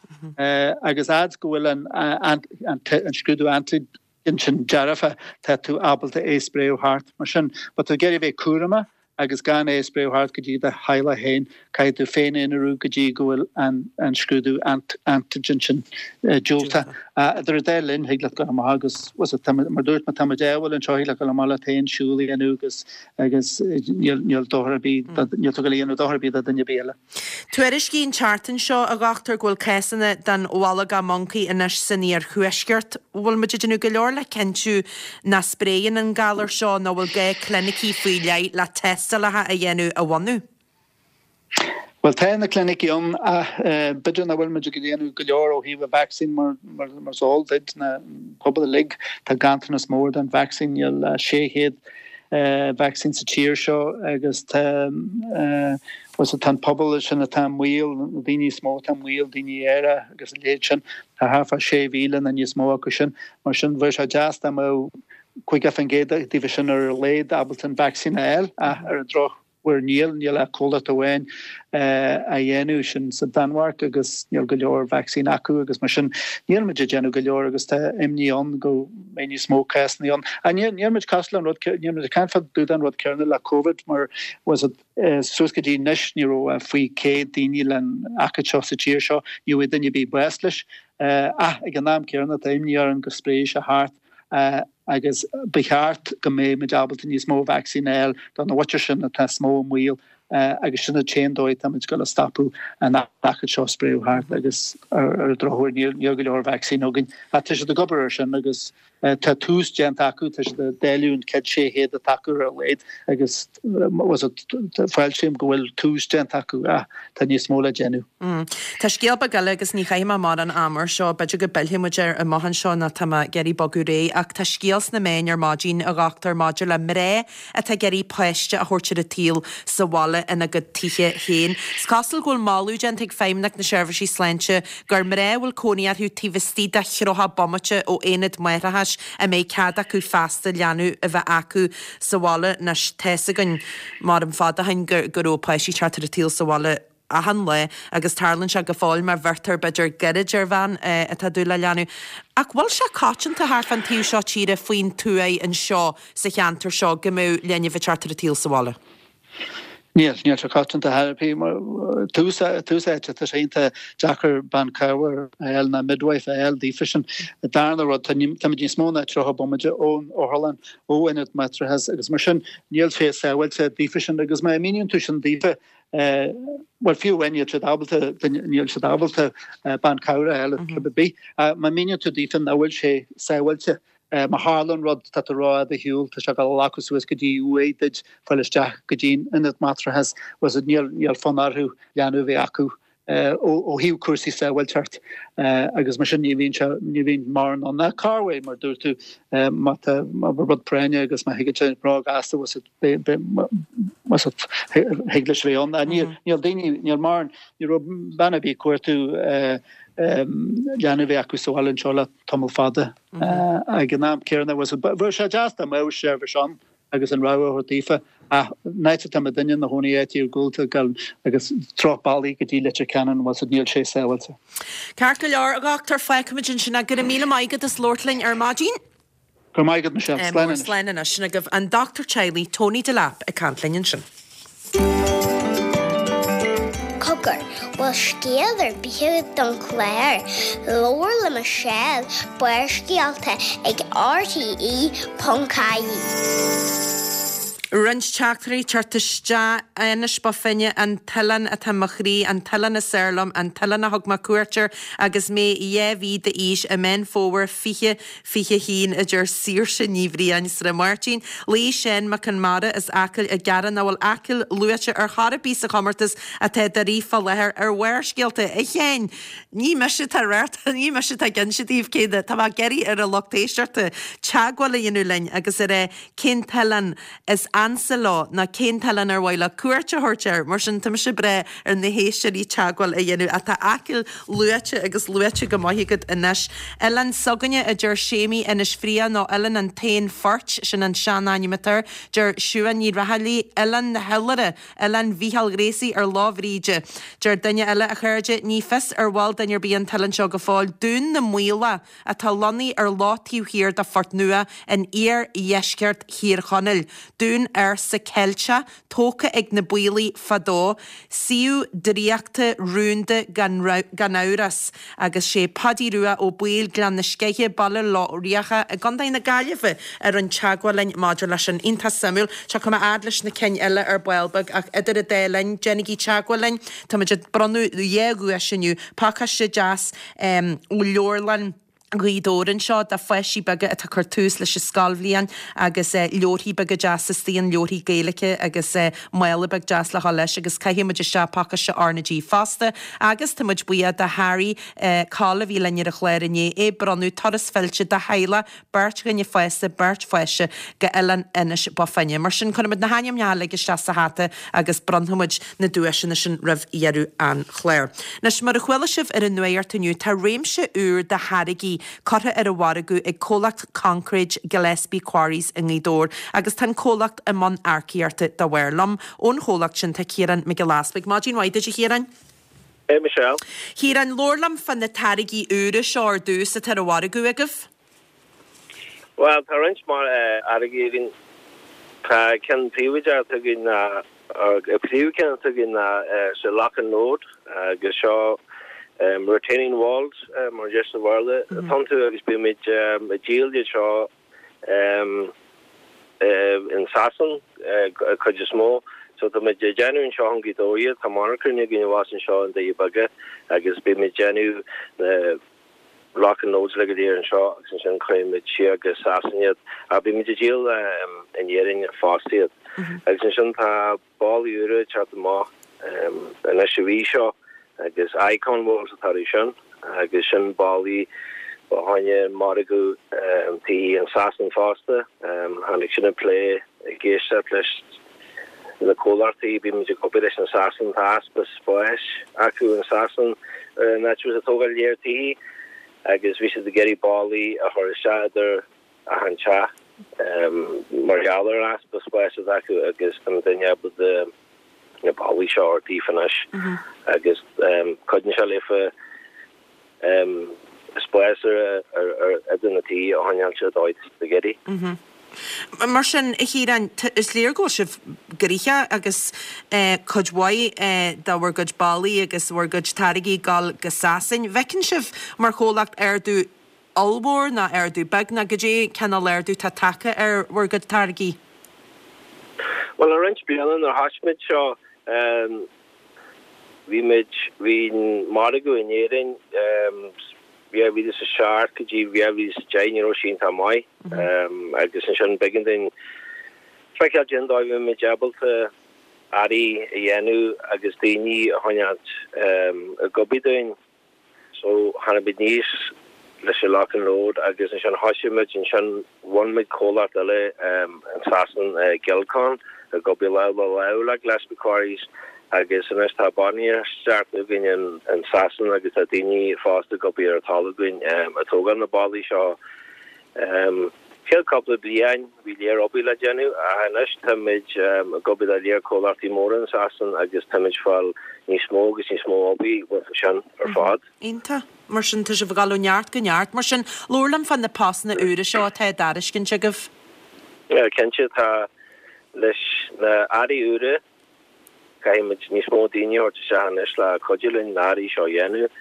agus fhad go bhfuil an scrúdú antigen sin dearfa, tá tú ábalta é a spréadh thart. Mar sin, má tá tú ag iarraidh a bheith cúramach agus gan é a spréadh thart go dtí do theaghlach féin, caithfidh tú féin-aonarú go dtí go bhfuil an scrúdú antigen sin diúltach. Idir an dá linn, thig leat dul amach agus, mar dúirt mé, tá muid ádhúil anseo, thig leat dul amach leat féin, siúl a dhéanamh agus agus níl dochar ar bith, níl tú ag dul a dhéanamh dochar ar bith do dhuine ar bith eile. Tuairiscíodh an tseachtain seo, a dhochtúir, go bhfuil cásanna den bholgach moncaí anois san iarthuaisceart. Bhfuil muid ag déanamh go leor le cinntiú nach spréann an galar seo nó bhfuil gá clinicí faoi leith le tástálacha a dhéanamh a bhunú? Bhuel, tá na clinicí ann ach b'fhéidir nach bhfuil muid ag déanamh go leor ó thaobh an vacsaín mar mar is eol duit, na pobal uilig, tá ganntanas mór den vacsaín, níl 600 vacsaín sa tír seo agus tá tá an pobal sin atá i mbaol, na daoine is mó atá i mbaol, daoine aeracha agus a leithéid sin, tá thart fá 6,000 nó níos mó acu sin. Mar sin, bheadh sé deas dá mbeadh 50% díobh sin ar a laghad ábalta an vacsaín a fháil ach ar an drochuair níl, níl ach comhlacht amháin á dhéanamh, sin sa Danmhairg agus níl go leor vacsaín acu agus mar sin níl muid ag déanamh go leor agus tá imní ann go mbeidh níos mó cásanna ann. Ach níl níl muid cosúil an rud níl muid ag caint fá dtaobh den rud céanna le Covid mar was it suas go dtí anois ní raibh ach faoi 100 daoine len aicíd seo sa tír seo, ní bhfuair duine ar bith bás leis. Ach ag an am céanna tá imní orainn go spréifidh sé thart agus ba cheart go mbeidh muid ábalta níos mó vacsaín a fháil do na mhuintir sin atá is mó i mbaol agus sin an t-aon dóigh atá muid ag dul a stopadh an aicíd seo spréadh thart agus ar an drochuair níl go leor vacsaín againn. Ach tá siad ag obair air sin agus tá tús déanta acu, tá siad ag dáileadh an chéad 600 atá acu ar a laghad agus fáiltím go bhfuil tús déanta acu ach tá níos mó le déanamh. Tá scéal beag eile agus ní chaithfidh mé mórán ama air seo, b'fhéidir go bpillfidh muid air amach anseo nó tá mé ag iarraidh bogadh ar aghaidh ach tá scéal. scéal sna meáin ar maidin, a dhochtúir, maidir le mná atá ag iarraidh páiste a thabhairt ar an tsaol sa bhaile ina gcuid tithe féin. Is cosúil go bhfuil moladh déanta ag Feidhmeannacht na Seirbhísí Sláinte gur mná a bhfuil cónaí orthu taobh istigh de 30 bomaite ó aonad máithreachais a mbeidh cead acu feasta leanbh a bheith acu sa bhaile. Anois, tá's againn mar an fada ó shin go raibh páistí ag teacht ar an tsaol sa bhaile achan lá agus tarlaíonn sé go fóill má bheirtear b'fhéidir goirid ar bhean atá ag dúil le leanbh. Ach bhfuil sé coitianta thart fán taobh seo tíre faoin tuaith anseo sa cheantar seo go mbeadh linbh ag teacht ar an tsaol sa bhaile? Níl, níl sé coitianta thar ar bith. Mar tús, tús áite, tá sé iontach deacair bean cabhair a fháil ná midwife a fháil daofa sin. Darna rud, tá, táimid níos mó ná 30 bomaite ón otharlann, ó ionad máithreachais agus mar sin níl sé sábháilte daofa sin agus má mhíníonn tú sin daofa, Bhuel, fiú amháin níl siad ábalta, níl siad ábalta bean cabhair a fháil ar chor ar bith. Má mhíníonn tú daofa nach bhfuil sé sábháilte, má tharlaíonn rud, tá tú rófhada ar shiúl, tá sé ag dul a ghlacadh suas go dtí uaigh duit fáil isteach go dtí an ionad máithreachais, bhfuil fhios agat, níl fonn orthu leanbh a bheith acu ó thaobh cúrsaí sábháilteacht agus mar sin ní bhíonn sé, ní bhíonn mórán ann. Ach corruair, mar dúirt tú, má tá rud práinne agus má thigeann sé róghasta, bhfuil fhios agat, thig leis a bheith ann. Níl daoine, níl mórán, ní raibh bean ar bith ag cuartú leanbh a bheith acu sa bhaile anseo le tamall fada. Ag an am céanna, bheadh sé deas dá mbeadh seirbhís ann agus an rogha a thabhairt daofa. Ach an áit atá muidinne ina chónaí áit iargúlta agus sruth bealaigh go dtí Leitir Ceanainn, bhfuil fhios agat, níl sé sábháilte. Ceart go leor, a dhochtúir, fágfaimid ansin é. Go raibh míle maith agat as labhairt linn ar maidin. Go raibh maith agat, Michelle. Slán anois. Slán anois. Sin agaibh an dochtúir teaghlaigh, Tony Delap, ag caint linn ansin. Cogar, bhfuil scéal ar bith agat don chlár? Labhair le Michelle, Barrscéalta ag RTE.ie. Roinnt teachtairí ag teacht isteach, Inis Bó Finne, an t-oileán atá i mo chroí, an t-oileán is fearr liom, an t-oileán a thug mé cuairt air agus mé 2 mhí d'aois i Meán Fómhair 20 21, a deir Saoirse Ní Bhriain, Srath Máirtín. Luí Seán Mac Conmara as Acaill ag gearán nach bhfuil Acaill luaite ar chor ar bith sa chomórtas atá á rith fá láthair ar Bharrscéalta. A Sheáin, ní mise atá ag, ní mise atá ag inse daoibh cé na, tá mé ag iarraidh ar an lucht éisteachta teagmháil a dhéanamh linn agus a rá cén t-oileán is ansa leo nó cén t-oileán ar mhaith leo cuairt a thabhairt air. Mar sin, tá mise ag brath ar na héisteoirí teagmháil a dhéanamh. Ach tá Acaill luaite agus luaite go maith agat anois. Oileán s'againne, a deir Séimí, Inis Fraoich nó Oileán an tSain Phoirt, sin an sean-ainm atá air, deir Siuán Ní Raghallaigh, Oileán na hIollaire, Oileán Mhícheáil Ghracie ar Lá Bhríde. Deir duine eile, a chairde, ní fios ar bhfuil duine ar bith an t-oileán seo go fóill, Dún na Maoile, atá lonnaithe ar loch taobh thiar de Phort Nua in iardheisceart Thír Chonaill. Dún ársa Ceilteach, tógtha ag na Baollaigh fadó, suíomh draíochta rúnda gan amhras. Agus sé Paidí Rua Ó Baoill, Gleann na Sceiche, Baile Locha Riach i gContae na Gaillimhe a rinne teagmháil linn maidir leis sin. Iontach suimiúil. Tiocfaidh mé fhad leis na cinn eile ar ball beag ach idir an dá linn, déanaigí teagmháil linn. Táimid ag bronnadh dhá dhuais inniu, pacáiste deas ó Leabharlann Ghaoth Dobhair anseo do pháistí beaga atá ag cur tús leis an scoilbhliain agus leabharthaí beaga deasa istigh ann, leabharthaí Gaeilge agus mála beag deas le dhul leis agus caithfidh muid isteach pacáiste R na G fosta agus tá muid buíoch do Harry Coll a bhí linn ar an chlár inné ag bronnadh turas fillte do theaghlach beirt dhuine fásta, beirt pháiste go Oileán Inis Bó Finne. Mar sin, cuirfimid na hainmneacha uilig isteach sa hata agus bronnfaimid na duaiseanna sin roimh dheireadh an chláir. Anois, mar a chuala sibh ar an nuacht inniu, tá réimse úr de tháirgí curtha ar an mhargadh ag comhlacht Concréid Gillespie Quarries i nGaoth Dobhair agus tá an comhlacht i mbun earcaíochta dá bharr. Liom ón chomhlacht sin tá Ciarán Mac Giolla Easpaig. Maidin mhaith duit, a Chiaráin. Hey Michelle. Ciarán, labhair liom fá na táirgí úra seo ar dtús atá ar an mhargadh agaibh. Bhuel, tá roinnt mhaith táirgí againn. Tá ceann príobháideach atá againn ná, príomhcheann atá againn ná sa Lock and Load agus seo retaining walls mar a deir sa Bhéarla atá iontu agus bímid ag díol iad seo in Sasain cuid is mó. So táimid ag déanamh anseo i nGaoth Dobhair iad, tá monarcha againn abhus anseo i nDoirí Beaga agus bímid ag déanamh na lock and loads uilig go léir anseo agus ansin cuirimid siar go Sasain iad. Ach bímid ag díol in Éirinn fosta iad. Agus ansin tá ballaí úra ag teacht amach anois an mhí seo agus Icon Walls atá orthu sin agus sin ballaí. Fá choinne margadh tithí in Sasain fosta. Tháinig sin ag plé ag éisteacht leis na comhlachtaí, bímid ag obair leis in Sasain, tá easpa spáis acu in Sasain in áit a bhfuil siad ag tógáil léar tithí agus bhí siad ag iarraidh ballaí a chur isteach idir achan teach mar gheall ar an easpa spáis atá acu agus tá muidinne ábalta na ballaí seo a thabhairt daofa anois agus cuidíonn sé leofa spás idir na tithe a choinneáil sa dóigh atá siad ag iarraidh. Mar sin, a Chiaráin, is léir go bhfuil sibh gnoitheach agus cuid mhaith de bhur gcuid ballaí agus bhur gcuid táirgí ag dul go Sasain. Bhfeiceann sibh mar chomhlacht ardú ollmhór nó ardú beag nó goidé cineál ardú atá tagtha ar bhur gcuid táirgí? Bhuel, le roinnt bliana nuair a thoisigh muid seo, Bhí muid, bhí an margadh in Éirinn 2007 go dtí 2010, ní raibh sé iontach maith agus ansin b'éigean dúinn feiceáil cén dóigh a mbeadh muid ábalta earraí a dhéanamh agus daoine a choinneáilt ag obair dúinn. So tháinig muid aníos leis an Lock and Load agus ansin thoisigh muid ansin bhun muid comhlacht eile in Sasain, Gilcon, ag obair lámh le lámh le Gillespie Quarries agus anois tá bainistíocht againn in Sasain agus tá daoine fosta ag obair ar an talamh againn ag tógáil na ballaí seo. Chéad cúpla bliain bhí léar obair le déanamh ach anois táimid ag obair le léar comhlachtaí móra in Sasain agus táimid fáil níos mó agus níos mó obair uathu sin ar fad. Iontach. Mar sin tá sibh ag dul ó neart go neart. Mar sin, labhair liom fá na postanna úra seo atá á dtairiscint agaibh. Cinnte, tá. Leis na earraí úra, caithfidh muid níos mó daoine a thabhairt isteach anois le cuidiú linn na earraí seo a dhéanamh.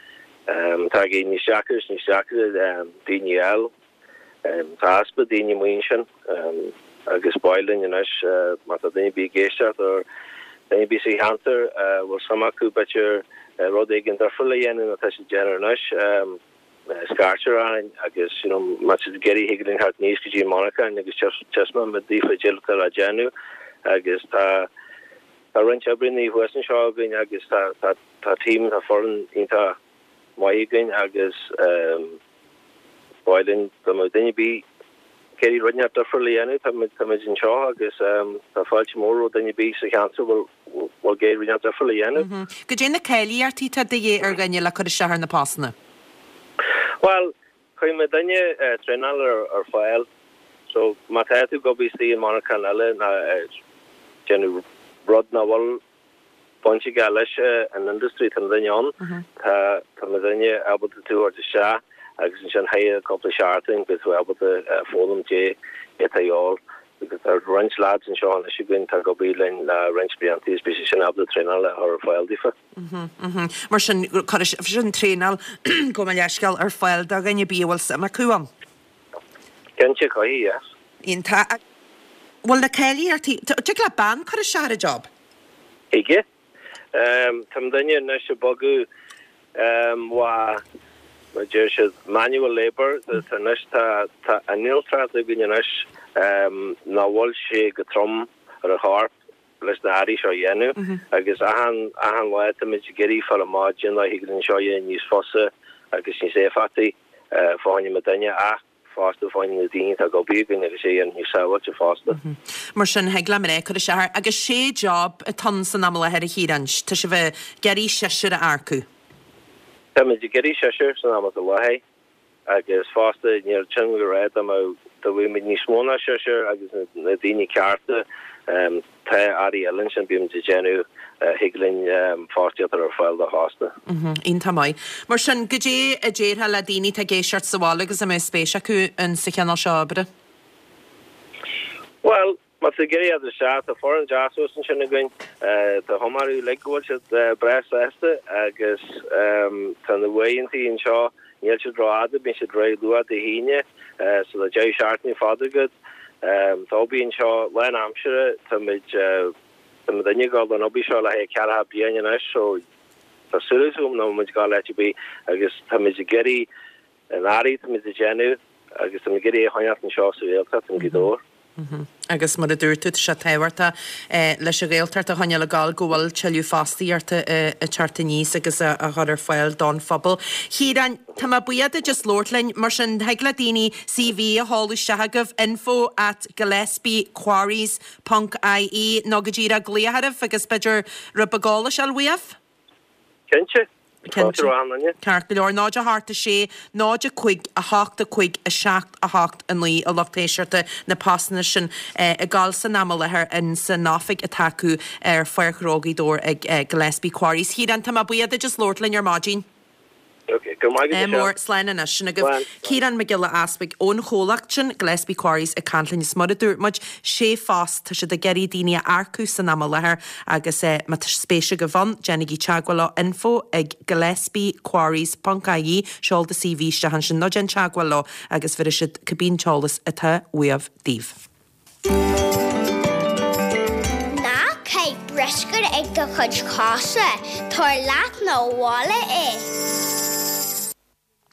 Tá ag éirí níos deacra is níos deacra daoine a fháil. Tá easpa daoine amuigh ansin agus ba mhaith linn anois má tá duine ar bith ag éisteacht nó duine ar bith sa cheantar a bhfuil suim acu b'fhéidir rud éigin difriúil a dhéanamh ná tá siad ag déanamh anois, scairt orainn agus you know má tá siad ag iarraidh thig linn theacht aníos go dtí an monarchain agus taispeánfaidh muid daofa cad é atá le déanamh agus tá tá roinnt oibreanna thuas anseo againn agus tá tá tá team tá foireann iontach maith againn agus ba mhaith linn dá mbeadh duine ar bith ag iarraidh rud inteacht difriúil a dhéanamh, tá muid, tá muid anseo agus tá fáilte mór roimh duine ar bith sa cheantar a bhfuil, bhfuil ag iarraidh rud inteacht difriúil a dhéanamh. Goidé na cáilíochtaí atá de dhíth ar dhuine le cur isteach ar na postanna? Bhuel, cuirfidh muidinne traenáil ar fáil so má tá tú ag obair istigh i monarchan eile nó ag déanamh rud nach bhfuil baint aige leis an industry, tá muidinne ann, tá tá muidinne ábalta tú a thabhairt isteach agus ansin thar cúpla seachtain beidh tú ábalta foghlaim goidé atá a dhíobháil because tá roinnt lads anseo anois againn atá ag obair linn le roinnt blianta agus beidh siad sin ábalta traenáil a chur ar fáil daofa. Mar sin cuirfidh sibh traenáil gabh mo leithscéal ar fáil do dhuine ar bith a bhfuil suim acu ann. Cinnte, cuirfidh, yes. Iontach. Bhfuil na cáilíochtaí, dtig le bean cur isteach ar an job? Thig. Tá muidinne anois ag bogadh ó mar a deir siad manual labour anois tá tá innealtóireacht againn anois nach bhfuil sé go trom ar an chorp leis na earraí seo a dhéanamh agus achan achan lá táimid ag iarraidh fáil amach cén dóigh a thig linn seo a dhéanamh níos fusa agus níos éifeachtaí fá choinne muidinne ach fosta fá choinne na daoine atá ag obair againn agus é a dhéanamh níos sábháilte fosta. Mar sin, thig le mná cur isteach air. Agus sé job atá ann san am i láthair a Chiaráin. Tá sibh ag iarraidh seisear a earcú. Táimid ag iarraidh seisear san am atá i láthair agus fosta níl sin le rá dá mbeadh dá bhfaigheadh muid níos mó ná seisear agus na daoine cearta Tá earraí eile ansin, bímid ag déanamh, thig linn fostaíocht a chur ar fáil dó fosta. Iontach maith. Mar sin, goidé a déarfá le daoine atá ag éisteacht sa bhaile agus a mbeadh spéis acu in sa chineál seo oibre? Bhuel, má tá ag iarraidh a isteach, tá foireann deas thuas ansin againn. Tá cuma orthu uilig go bhfuil siad breá sásta agus tá na uaireantaí anseo, Níl siad rófhada, bíonn siad réidh luath Dé hAoine, so tá deireadh seachtaine fada agat. Tá obair anseo lán-aimsire, táimid, tá muidinne ag dul don obair seo le haghaidh ceathracha bliain anois, so tá súil agam nach bhfuil muid ag dul áit ar bith agus táimid ag iarraidh an earraí táimid ag déanamh agus táimid ag iarraidh é a choinneáilt anseo sa Ghaeltacht, in Gaoth Dobhair. Agus mar a dúirt tú, tá sé tábhachtach leis an Ghaeltacht a choinneáil ag gabháil go bhfuil tuilleadh fostaíochta ag teacht aníos agus á chur ar fáil don phobal. Chiaráin, tá mé buíoch duit as labhairt linn. Mar sin, thig le daoine CV a sheoladh isteach chugaibh, info at gillespiequarries ponc ie, nó go díreach glaoch oraibh agus b'fhéidir rud beag eolais a fháil uaibh. Cinnte. Cinnte. Ceart go leor. 0 8 6 0 5 8 5 7 8 9 a lucht éisteachta na postanna sin ag gabháil san am i láthair in san oifig atá acu ar Pháirc Ghnó Ghaoth Dobhair ag Gillespie Quarries. Chiaráin, tá mé buíoch duit as labhairt linn ar maidin. Ok, go raibh maith agat, Mór, slán anois. Sin agaibh Ciarán Mac Giolla Easpaig ón chomhlacht sin, Gillespie Quarries, ag caint linn. Is mar a dúirt muid, sé phost, tá siad ag iarraidh daoine a earcú san am i láthair agus má tá spéis agaibh ann, déanaigí teagmháil leo, info ag gillespiequarries ponc ie, seol do CV isteach ansin nó déan teagmháil leo agus bhéarfaidh siad cibé an t-eolas atá uaibh daoibh. Ná caith bruscar ag do chuid cosa, tabhair leat 'na bhaile é.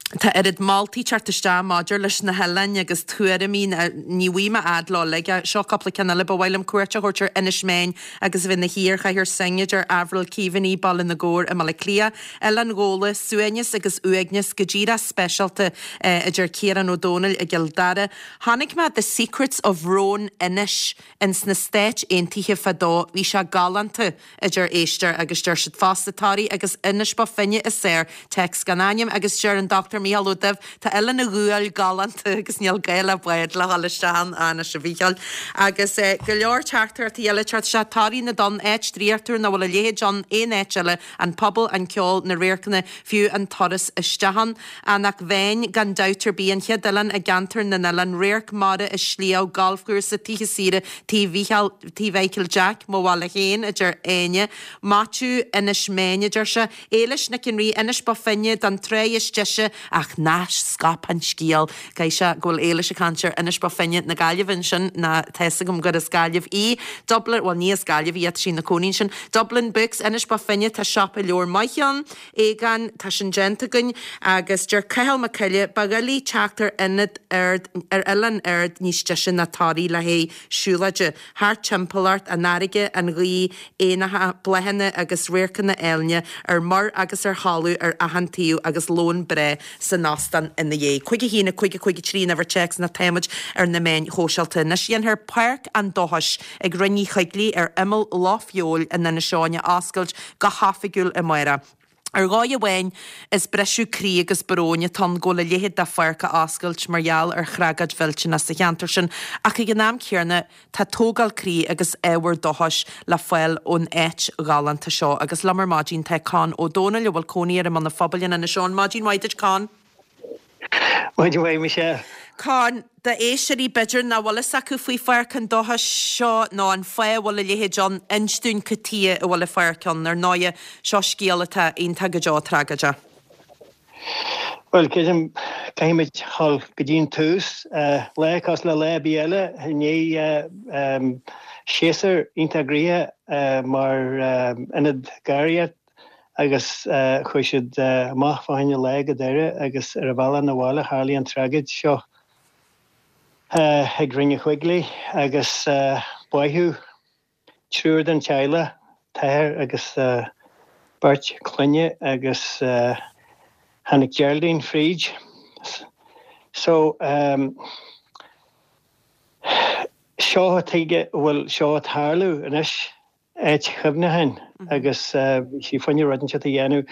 Tá oiread moltaí teacht isteach maidir leis na hoileáin agus tuairimí, ní bhfaighidh mé fhad leo uilig. Seo cúpla ceann eile, ba mhaith liom cuairt a thabhairt ar Inis Meáin agus a bheith ina shuí ar chathaoir Synge, a deir Avril Keaveney, Baile na gCorr i mBaile Átha Cliath. Oileán Ghabhla, suaimhneas agus uaigneas go díreach speisialta, a deir Ciarán Ó Dónaill i gCill Dara. Chonaic mé The Secrets of Roan Inish ins na Stáit Aontaithe fadó, bhí sé galánta, a deir éisteoir agus deir siad fosta Toraigh agus Inis Bó Finne is fearr, téacs gan ainm, agus deir an Dr Mícheál Ó Duibh tá Oileán an Ghuail galánta agus níl gá le bád le dhul isteach ann, anois a Mhícheáil. Agus go leor teachtaireachtaí eile ag teacht isteach, Toraigh na dTonn, áit draíochtúil nach bhfuil a leithéid ann aon áit eile, An pobal, an ceol, na radharcanna, fiú an turas isteach ann. Eanach Mheáin, gan dabht ar bith, an chéad oileán i gceantar na n-oileán, radharc mara is sliabh, galfchúrsa, tithe saoire, Tigh Mhícheáil, Tigh Mhichael Jack, mo bhaile féin, a deir Áine. Maitiú, Inis Meáin, a deir sé. Éilis Nic an Rí, Inis Bó Finne, don tráigh is deise, ach ná scaip an scéal. Caithfidh sé go bhfuil Éilis ag caint ar Inis Bó Finne na Gaillimhe ansin, nó tá fhios agam gur as Gaillimh í. Dublin, bhuel ní as Gaillimh í ach tá sí ina cónaí ansin. Dublin Books, Inis Bó Finne, tá siopa leabhar maith ann. Aogán, tá sin déanta againn. Agus deir Cathal Mac Coille, ba dhoiligh teacht ar ionad ard, ar oileán ard níos deise ná Toraigh le haghaidh siúlóide. Thart timpeall ort, an fharraige, an ghaoth, éanacha, bláthanna agus radharcanna áilne ar muir agus ar thalamh ar achan taobh agus lón breá san óstán ina dhiaidh. 5 1 5 5 3 an uimhir téacs nó táimid ar na meáin shóisialta anois. Dhéanfar Páirc an Dóchais ag Rinn Uí Choigligh ar imeall Loch Feabhail in Inis Eoghain a oscailt go hoifigiúil amárach. Ar dhóigh amháin, is briseadh croí agus bróin atá ann go bhfuil a leithéid de pháirc á oscailt mar gheall ar thragóid mhillteanach sa cheantar sin, ach ag an am céanna, tá tógáil croí agus ábhar dóchais le fáil ón áit ghalánta seo. Agus liom ar maidin tá Con Ó Dónaill, a bhfuil cónaí air i mBun an Phobail in Inis Eoghain. Maidin mhaith duit, Con. Maidin mhaith, Michelle. Con, d'éisteoirí b'fhéidir nach bhfuil fhios acu faoi Pháirc an Dóchais seo nó an fáth a bhfuil a leithéid ann, inis dúinn cad tuighe a bhfuil an pháirc ann. Ar ndóighe, seo scéal atá iontach go deo tragóideach. Bhuel, creidim, caithfimid dhul go dtí an tús. Lá cosúil le lá ar bith eile, i ndiaidh séasúr iontach gnoitheach mar ionad gairdíochta, agus chuaigh siad amach fá choinne lae go Doire agus ar a bhealach 'na bhaile tharlaigh an tragóid seo ag Rinn Uí Choigligh agus báitheadh triúr den teaghlach, t-athair agus beirt clainne agus tháinig Geraldine fríd. So seo tuige a bhfuil seo ag tarlú anois. áit chuimhneacháin agus bhí sí fá choinne rud inteacht a dhéanamh.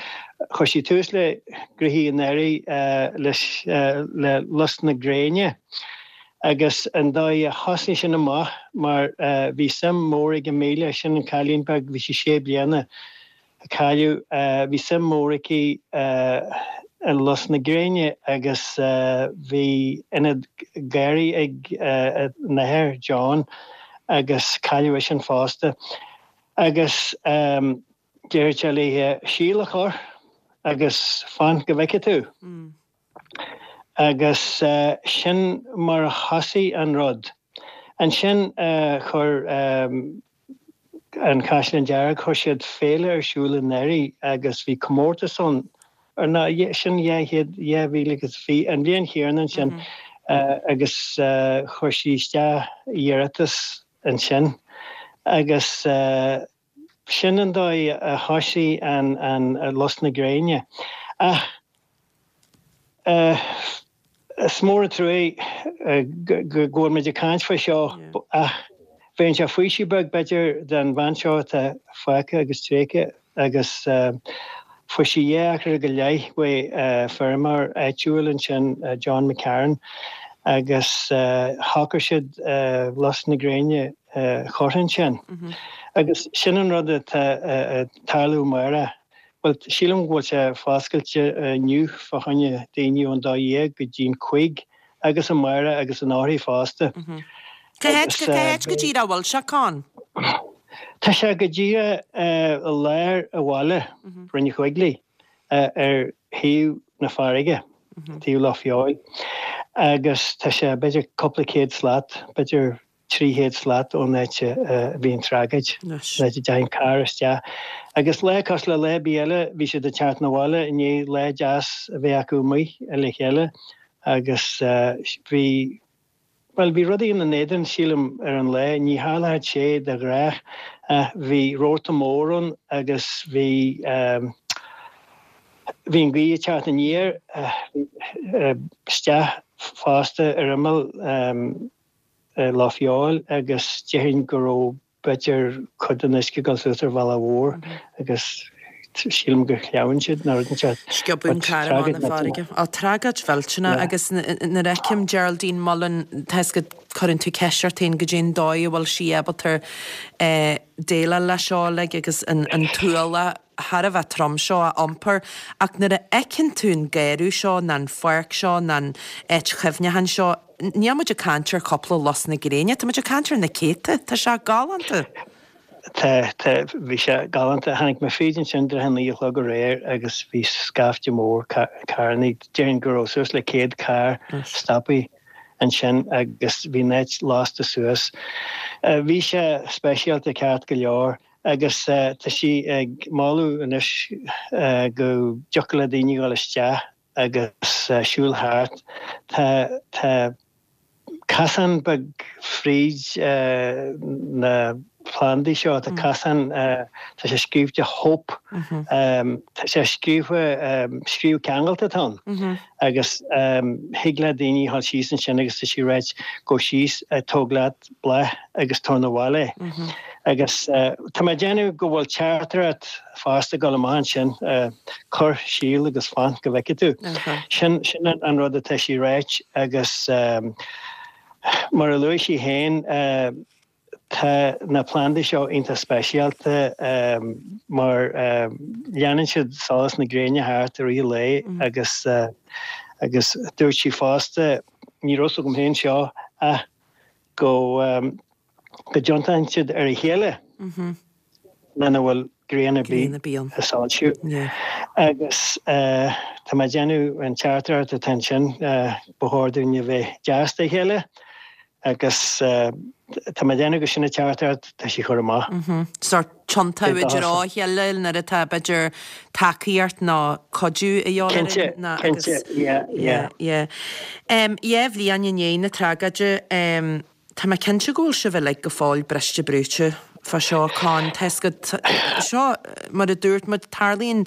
Chuir sí tús le gnoithí an earraigh leis le Lus na Gréine agus an dóigh a thosnaigh sin amach mar bhí suim mór ag Amelia, sin an cailín beag, bhí sí sé bliana, a cailleadh. Bhí suim mór aici i lus na gréine agus bhí ionad garraí ag a n-athair, John, agus cailleadh eisean fosta. Agus deireadh sé léithe síol a chur agus fan go bhfeicfidh tú. Agus sin mar a thosaigh an rud. Ansin chuir an Caisleán Dearg, chuir siad féile ar siúl i nDoire agus bhí comórtas ann, ar ná, sin 2000 agus bhí an bhliain chéanna ansin. Agus chuir sí isteach iarratas ansin agus sin an dóigh a thoisigh an Lus na Gréine. Ach is mór an truaigh go bhfuil muid ag caint faoi seo ach bheadh sé faoiseamh beag b'fhéidir don bhean seo atá fágtha agus tréigthe agus fuair sí dhá acra go leith uaidh feirmeoir áitiúil ansin, John McCarron, agus shocraigh siad Lus na Gréine a chur ansin. Agus sin an rud atá ag tarlú amárach. Bhuel, sílim go bhfuil sé foscailte inniu fá choinne daoine ón 12 go dtí'n 5 agus amárach agus anóirthear fosta. Cá háit, cá háit go díreach a bhfuil sé, Con? Tá sé go díreach i lár an bhaile, Rinn Chuiglí, ar thaobh na farraige, taobh Loch Feabhail, agus tá sé b'fhéidir cúpla céad slat, b'fhéidir 300 slat ón áit a bhí an tragóid, an áit a dteachaigh an carr isteach. Agus lá cosúil le lá ar bith eile, bhí siad ag teacht 'na bhaile i ndiaidh lá deas a bheith acu amuigh le chéile agus bhí, bhuel, bhí rudaí ina n-éadan, sílim, ar an lá. Ní tharlódh sé de ghnách ach bhí rabharta mór ann agus bhí, bhí an ghaoth ag teacht aniar isteach fosta ar imeall Loch Feabhail agus déarfainn go raibh b'fhéidir cuid den uisce ag dul suas ar bhealach mhór agus sílim gur shleamhain siad nó rud inteacht. Sciobadh an carr amach na farraige. Á, tragóid mhillteanach agus nuair a fheicim Geraldine Mullen, tá 'fhios agat, cuireann tú ceist ort féin goidé an dóigh a bhfuil sí ábalta déileáil leis seo uilig agus an t-ualach thar a bheith trom seo a iompar ach nuair a fheiceann tú an garraí seo ná an pháirc seo ná an áit chuimhneacháin seo, níl muid ag caint ar chúpla lus na gréine, tá muid ag caint ar na céadta. Tá sé galánta. Tá, tá, bhí sé galánta. Tháinig mé fríd ansin i dtrátha a naoi a chlog aréir agus bhí scaifte mór carrannaí, déarfainn go raibh suas le 100 carr stoptha ansin agus bhí an áit lasta suas. Bhí sé speisialta ceart go leor. Agus tá sí ag moladh anois go dtiocfadh le daoine dhul isteach agus siúl thart. Tá tá casán beag fríd na plandaí seo, tá casán, tá sé scríobhte 'Hope', tá sé scríofa, scríobh ceangailte atá ann agus thig le daoine dhul síos ansin agus tá sí ag ráit gabh síos, tóg leat bláth agus tabhair 'na bhaile é. Agus tá mé ag déanamh go bhfuil teachtaireacht fosta ag dul amach ansin, cuir síol agus fan go bhfeicfidh tú. Sin sin an rud atá sí ag ráit agus mar a luaigh sí féin, tá na plandaí seo iontach speisialta mar leanann siad solas na gréine thart i rith an lae agus agus dúirt sí fosta, ní raibh 'fhios agam féin seo ach go go dtiontaíonn siad ar a chéile muna bhfuil grian ar bith ag soilsiú. Agus tá mé ag déanamh an teachtaireacht atá ansin, ba chóir dúinn a bheith deas dá chéile agus tá mé ag déanamh gur sin an teachtaireacht atá sí a chur amach. Sórt tiontú i dtreo a chéile nuair atá b'fhéidir tacaíocht nó cuidiú a dhíobháil orainn nó agus. Cinnte, yeah, yeah. Yeah. Dhá bhliain i ndiaidh na tragóide, tá mé cinnte go bhfuil sibh uilig go fóill briste brúite fá seo, Con, tá 'fhios agat, seo, mar a dúirt muid, tarlaíonn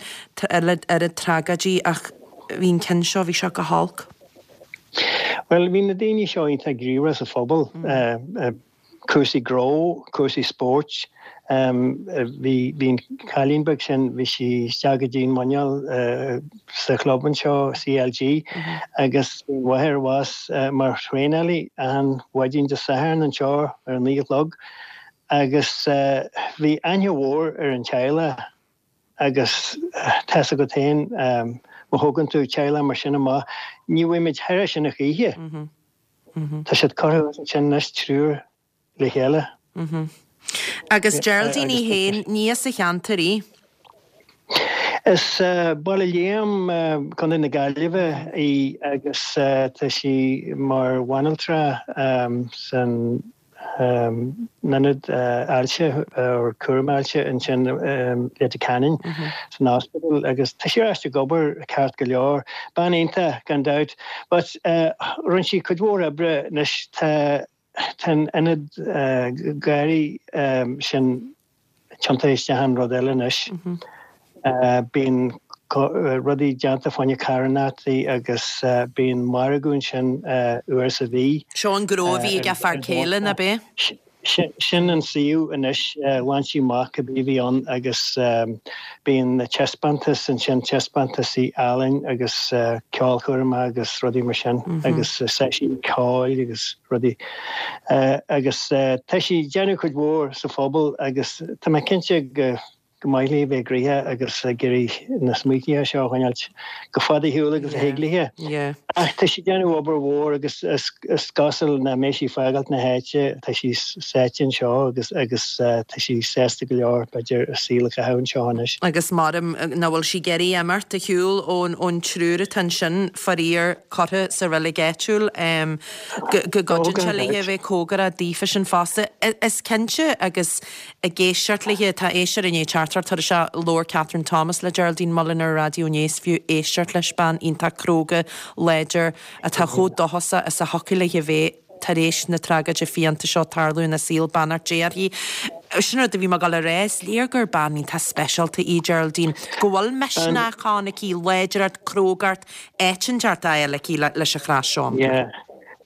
oiread tragóidí ach bhí an ceann seo, bhí seo go holc. Bhuel, bhí na daoine seo iontach gníomhach sa phobal. cúrsaí gnó, cúrsaí spóirt. Bhí bhí an cailín beag sin, bhí sí isteach go dtí an muineál sa chlub anseo, CLG, agus bhí an mháthair abhus mar thraenálaí achan mhaidin Dé Sathairn anseo ar a naoi a chlog agus bhí aithne mhór ar an teaghlach agus tá 'fhios agat féin, má thógann tú teaghlach mar sin amach, ní bhfaighidh muid thar sin a choíche. Tá siad curtha ansin anois triúr le chéile. Agus Geraldine í féin, ní as an cheantar í? As Baile Liam, Contae na Gaillimhe í agus tá sí mar bhanaltra san. Ionad Ailse or Cúram Ailse ansin i Leitir Ceanainn san ospidéal agus tá sí ar ais ag obair ceart go leor. Bean iontach gan dabht. But rinne sí cuid mhór oibre anois tá tá an ionad garraí sin tiontaithe isteach in rud eile anois. Bíonn rudaí déanta fá choinne carthanachtaí agus bíonn margadh ansin uair sa mhí. Seo an gnó a bhí ag a fear céile, ná b'é? Sin an suíomh anois, ghlan sí amach cibé a bhí ann agus bíonn taispeántas ansin, taispeántasaí ealaíne agus ceolchoirmeacha agus rudaí mar sin agus seisiún ceoil agus rudaí. Agus tá sí ag déanamh cuid mhór sa phobal agus tá mé cinnte go go maith léi bheith gnoitheach agus ag iarraidh na smaointithe seo a choinneáilt chomh fada ar shiúl agus a thig léi. Ach tá sí ag déanamh obair mhór agus is cosúil nach mbeidh sí ag fágáilt na háite, tá sí sáite anseo agus agus tá sí sásta go leor b'fhéidir a saol a chaitheamh anseo anois. Agus maram nach bhfuil sí ag iarraidh imeacht ar shiúl ón triúr atá ansin, faraor, curtha sa reilig áitiúil, go gcuidíonn sé léi a bheith cóngarach daofa sin fosta. Is cinnte agus Ag éisteacht léi, tá éisteoir i ndiaidh teachtaireacht tabhairt isteach, labhair Catherine Thomas le Geraldine Mullen ar an raidió inné, is fiú éisteacht leis, bean iontach cróga, láidir, atá chomh dóchasach is a thiocfadh léi a bheith tar éis na tragóide fiánta seo tarlú ina saol, beannacht Dé uirthi. Sin rud a bhí mé ag dul a rá, is léir gur bean iontach speisialta í Geraldine, go bhfuil misneach ann aici, láidreacht, crógacht, áit inteacht á fháil aici leis an chreas seo. Yeah.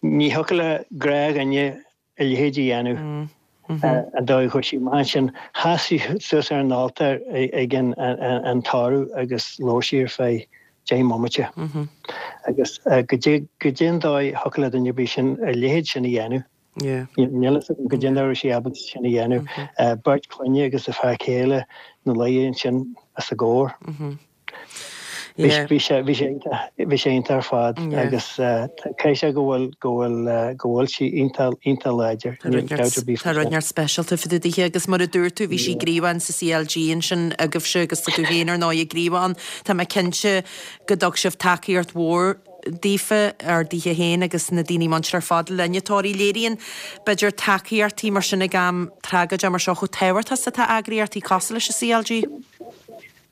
Ní thiocfadh le gnáthdhuine a leithéid a dhéanamh. An dóigh a chuaigh sí amach ansin, sheas sí suas ar an altóir ag an tórramh agus labhair sí ar feadh 10 mbomaite. Agus goidé an dóigh a thiocfadh le duine ar bith sin a leithéid sin a dhéanamh. Níl a fhios agam goidé an dóigh a raibh sí ábalta sin a dhéanamh. Beirt clainne agus a fear céile ina luí ansin os a gcomhair. Bhí sé bhí sé iontach bhí sé iontach ar fad agus caithfidh sé go bhfuil go bhfuil go bhfuil sí iontach iontach láidir. Níl dabht ar bith faoi sin. Tá rud inteacht speisialta fá dtaobh dithe agus mar a dúirt tú bhí sí gníomhach insa CLG ansin agaibhse agus tá tú féin ar ndóigh gníomhach ann. Tá mé cinnte go dtug sibh tacaíocht mhór daofa, ar dithe féin agus na daoine muinteartha ar fad le linn a tórraimh. Léiríonn, b'fhéidir, tacaíochtaí mar sin ag am tragóide mar seo chomh tábhachtach is atá eagraíochtaí cosúil leis an CLG.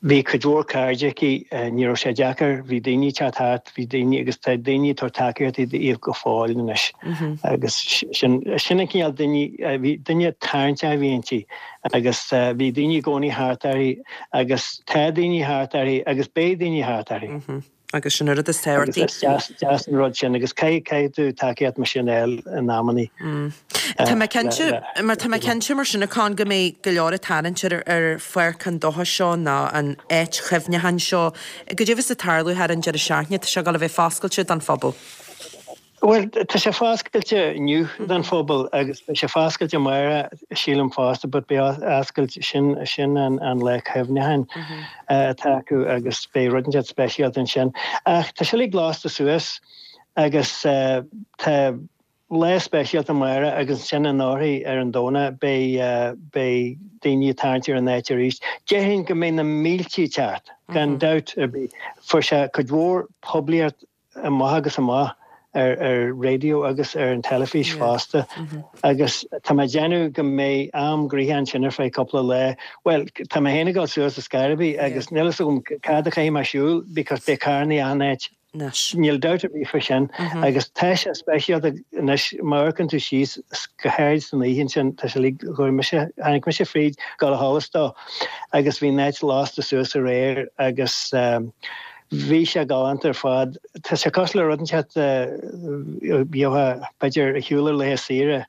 Bhí cuid mhór cairde aici, ní raibh sé deacair, bhí daoine ag teacht thart, bhí daoine, agus tá daoine ag tabhairt tacaíochtaí di go fóill anois. Agus sin, sin an cineál duine, bhí, duine tarraingteach a bhí inti agus bhí daoine i gcónaí thart uirthi agus tá daoine thart uirthi agus beidh daoine thart uirthi. Agus sin an rud is tábhachtaí. Agus is deas, deas an rud sin agus caithfidh, caithfidh tú tacaíocht mar sin a fháil in amannaí. Tá mé cinnte, mar tá mé cinnte mar sin a Con go mbeidh go leor ag tarraingt ar, ar pháirc an dóchais seo nó an áit chuimhneacháin seo. Goidé a bheas ag tarlú thar an deireadh seachtaine, tá sé ag dul a bheith foscailte don phobal. Bhuel, tá sé foscailte inniu don phobal agus beidh sé foscailte amárach, sílim fosta, but beidh oscailt, sin, sin an, an lá cuimhneacháin atá acu agus beidh rud inteacht speisialta ansin. Ach tá sé uilig lasta suas agus tá lá speisialta amárach agus ansin anórthaidh ar an Domhnach beidh, beidh daoine ag tarraingt ar an áit arís. Déarfainn go mbeidh na mílte ag teacht, gan dabht ar bith. Fuair sé cuid mhór poiblíocht amach agus amach ar ar raidió agus ar an teilifís fosta agus tá mé ag déanamh go mbeidh am gnoitheach ansin ar feadh cúpla lá. Bhuel, tá mé féin ag dul suas ar scor ar bith agus níl a fhios agam cad a chaithfidh mé siúl because beidh carrannaí achan áit. Níl dabht ar bith faoi sin agus tá sé speisialta anois má amharcann tú síos go háirid san oíche ansin tá sé uilig, chuaigh mise, tháinig mise fríd dul a sholas dó agus bhí an áit lasta suas aréir agus Bhí sé galánta ar fad. Tá sé cosúil le rud inteacht a gheofá, b'fhéidir, ar shiúl ar laetha saoire.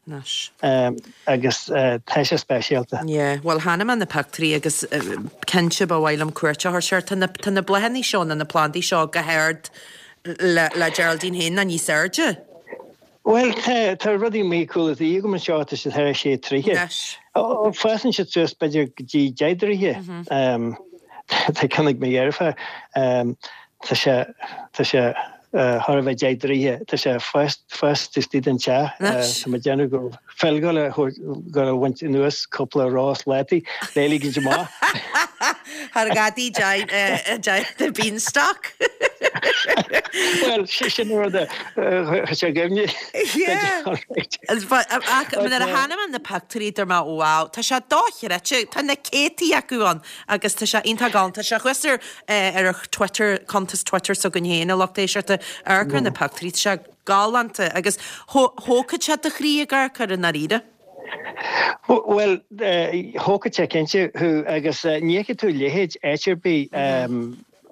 Agus tá sé speisialta. Yeah, bhuel chonaic mé na pictiúirí agus cinnte ba mhaith liom cuairt a thabhairt air. Tá na, tá na bláthanna seo nó na plandaí seo go hard le, le Geraldine féin nó níos airde. Bhuel, tá, tá rudaí amuigh cúl an tí agam anseo, tá siad thar a sé troighe. Anois. Ó, fásann siad suas b'fhéidir go dtí 10 dtroighe. Tá ceann ag mo dheirfiúr, tá sé, tá sé thar a bheith 10 dtroighe, tá sé ag fás, fás taobh istigh den teach. Anois. Tá mé ag déanamh go bhfuil gá le gabháil a bhaint anuas cúpla rós látaí le ligint amach. Thar gadaí the beanstalk. Bhuel, sin an rud a chuir sé i gcuimhne. Yeah. Ach nuair a chonaic mé na pictiúirí dúirt mé wow, tá sé dochreidte, tá na céadtaí acu ann agus tá sé iontach galánta. Tá sé thuas ar ar ar Twitter, cuntas Twitter s'againn féin, a lucht éisteachta, amharc ar na pictiúirí, tá sé galánta agus thógfadh sé do chroí ag amharc air i ndáiríre. Bhuel, thógfadh sé cinnte thú agus ní fheicfidh tú a leithéid áit ar bith.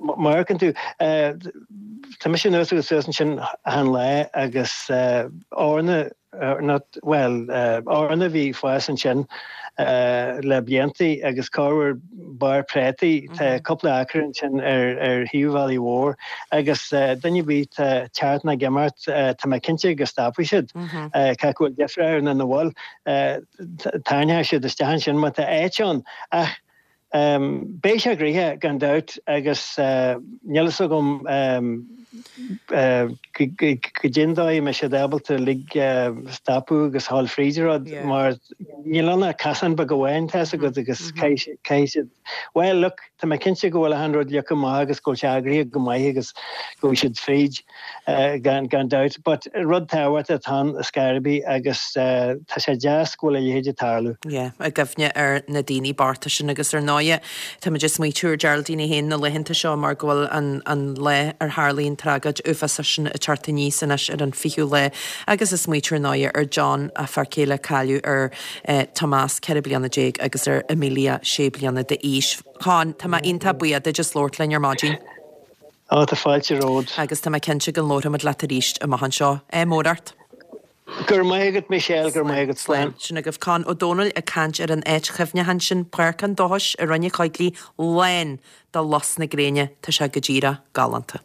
Má amharcann tú, tá mise anuas agus suas ansin achan lá agus eorna, not, bhuel, eorna a bhí ag fás ansin le blianta agus corruair barr préataí, tá cúpla acra ansin ar ar thaobh an bhealaigh mhóir agus duine ar bith atá ag teacht nó ag imeacht, tá mé cinnte go stopfaidh siad, cé acu a bhfuil deifir orthu nó nach bhfuil, tarraingeoidh siad isteach ansin má tá áit ann ach Beidh sé gnoitheach gan dabht agus níl fhios agam goidé an dóigh a mbeidh siad ábalta uilig stopadh agus a ghabháil fríd an rud mar níl ann ach casán beag amháin tá fhios agat agus caithfidh siad, bhuel look tá mé cinnte go bhfuil achan rud leagtha amach agus go bhfuil sé eagraithe go maith agus go bhfuil siad fríd. gan dabht. But rud tábhachtach atá ann ar scor ar bith agus tá sé deas go bhfuil a leithéid ag tarlú. Yeah, i gcuimhne ar na daoine bochta sin agus ar ndóighe táimid ag smaoitiú ar Geraldine í féin na laethanta seo mar go bhfuil an an lá ar tharlaigh an tragóid uafásach sin ag teacht aníos anois ar an 20ú lá agus ag smaoitiú ar ndóighe ar John, a fear céile cailleadh ar Tomás 14 bliana agus ar Amelia 6 bliana d'aois. Con, tá mé iontach buíoch duit as labhairt linn ar maidin. Á, tá fáilte romhat. Agus tá mé cinnte go labharfaimid leat arís amach anseo. Ádh mór ort. Go raibh maith agat, Michelle, go raibh maith agat. Slán. Sin agaibh Con Ó Dónaill ag caint ar an áit chuimhneacháin sin, Páirc an Dóchais i Rinn an Choigligh, lán de lus na gréine. Tá sé go díreach galánta.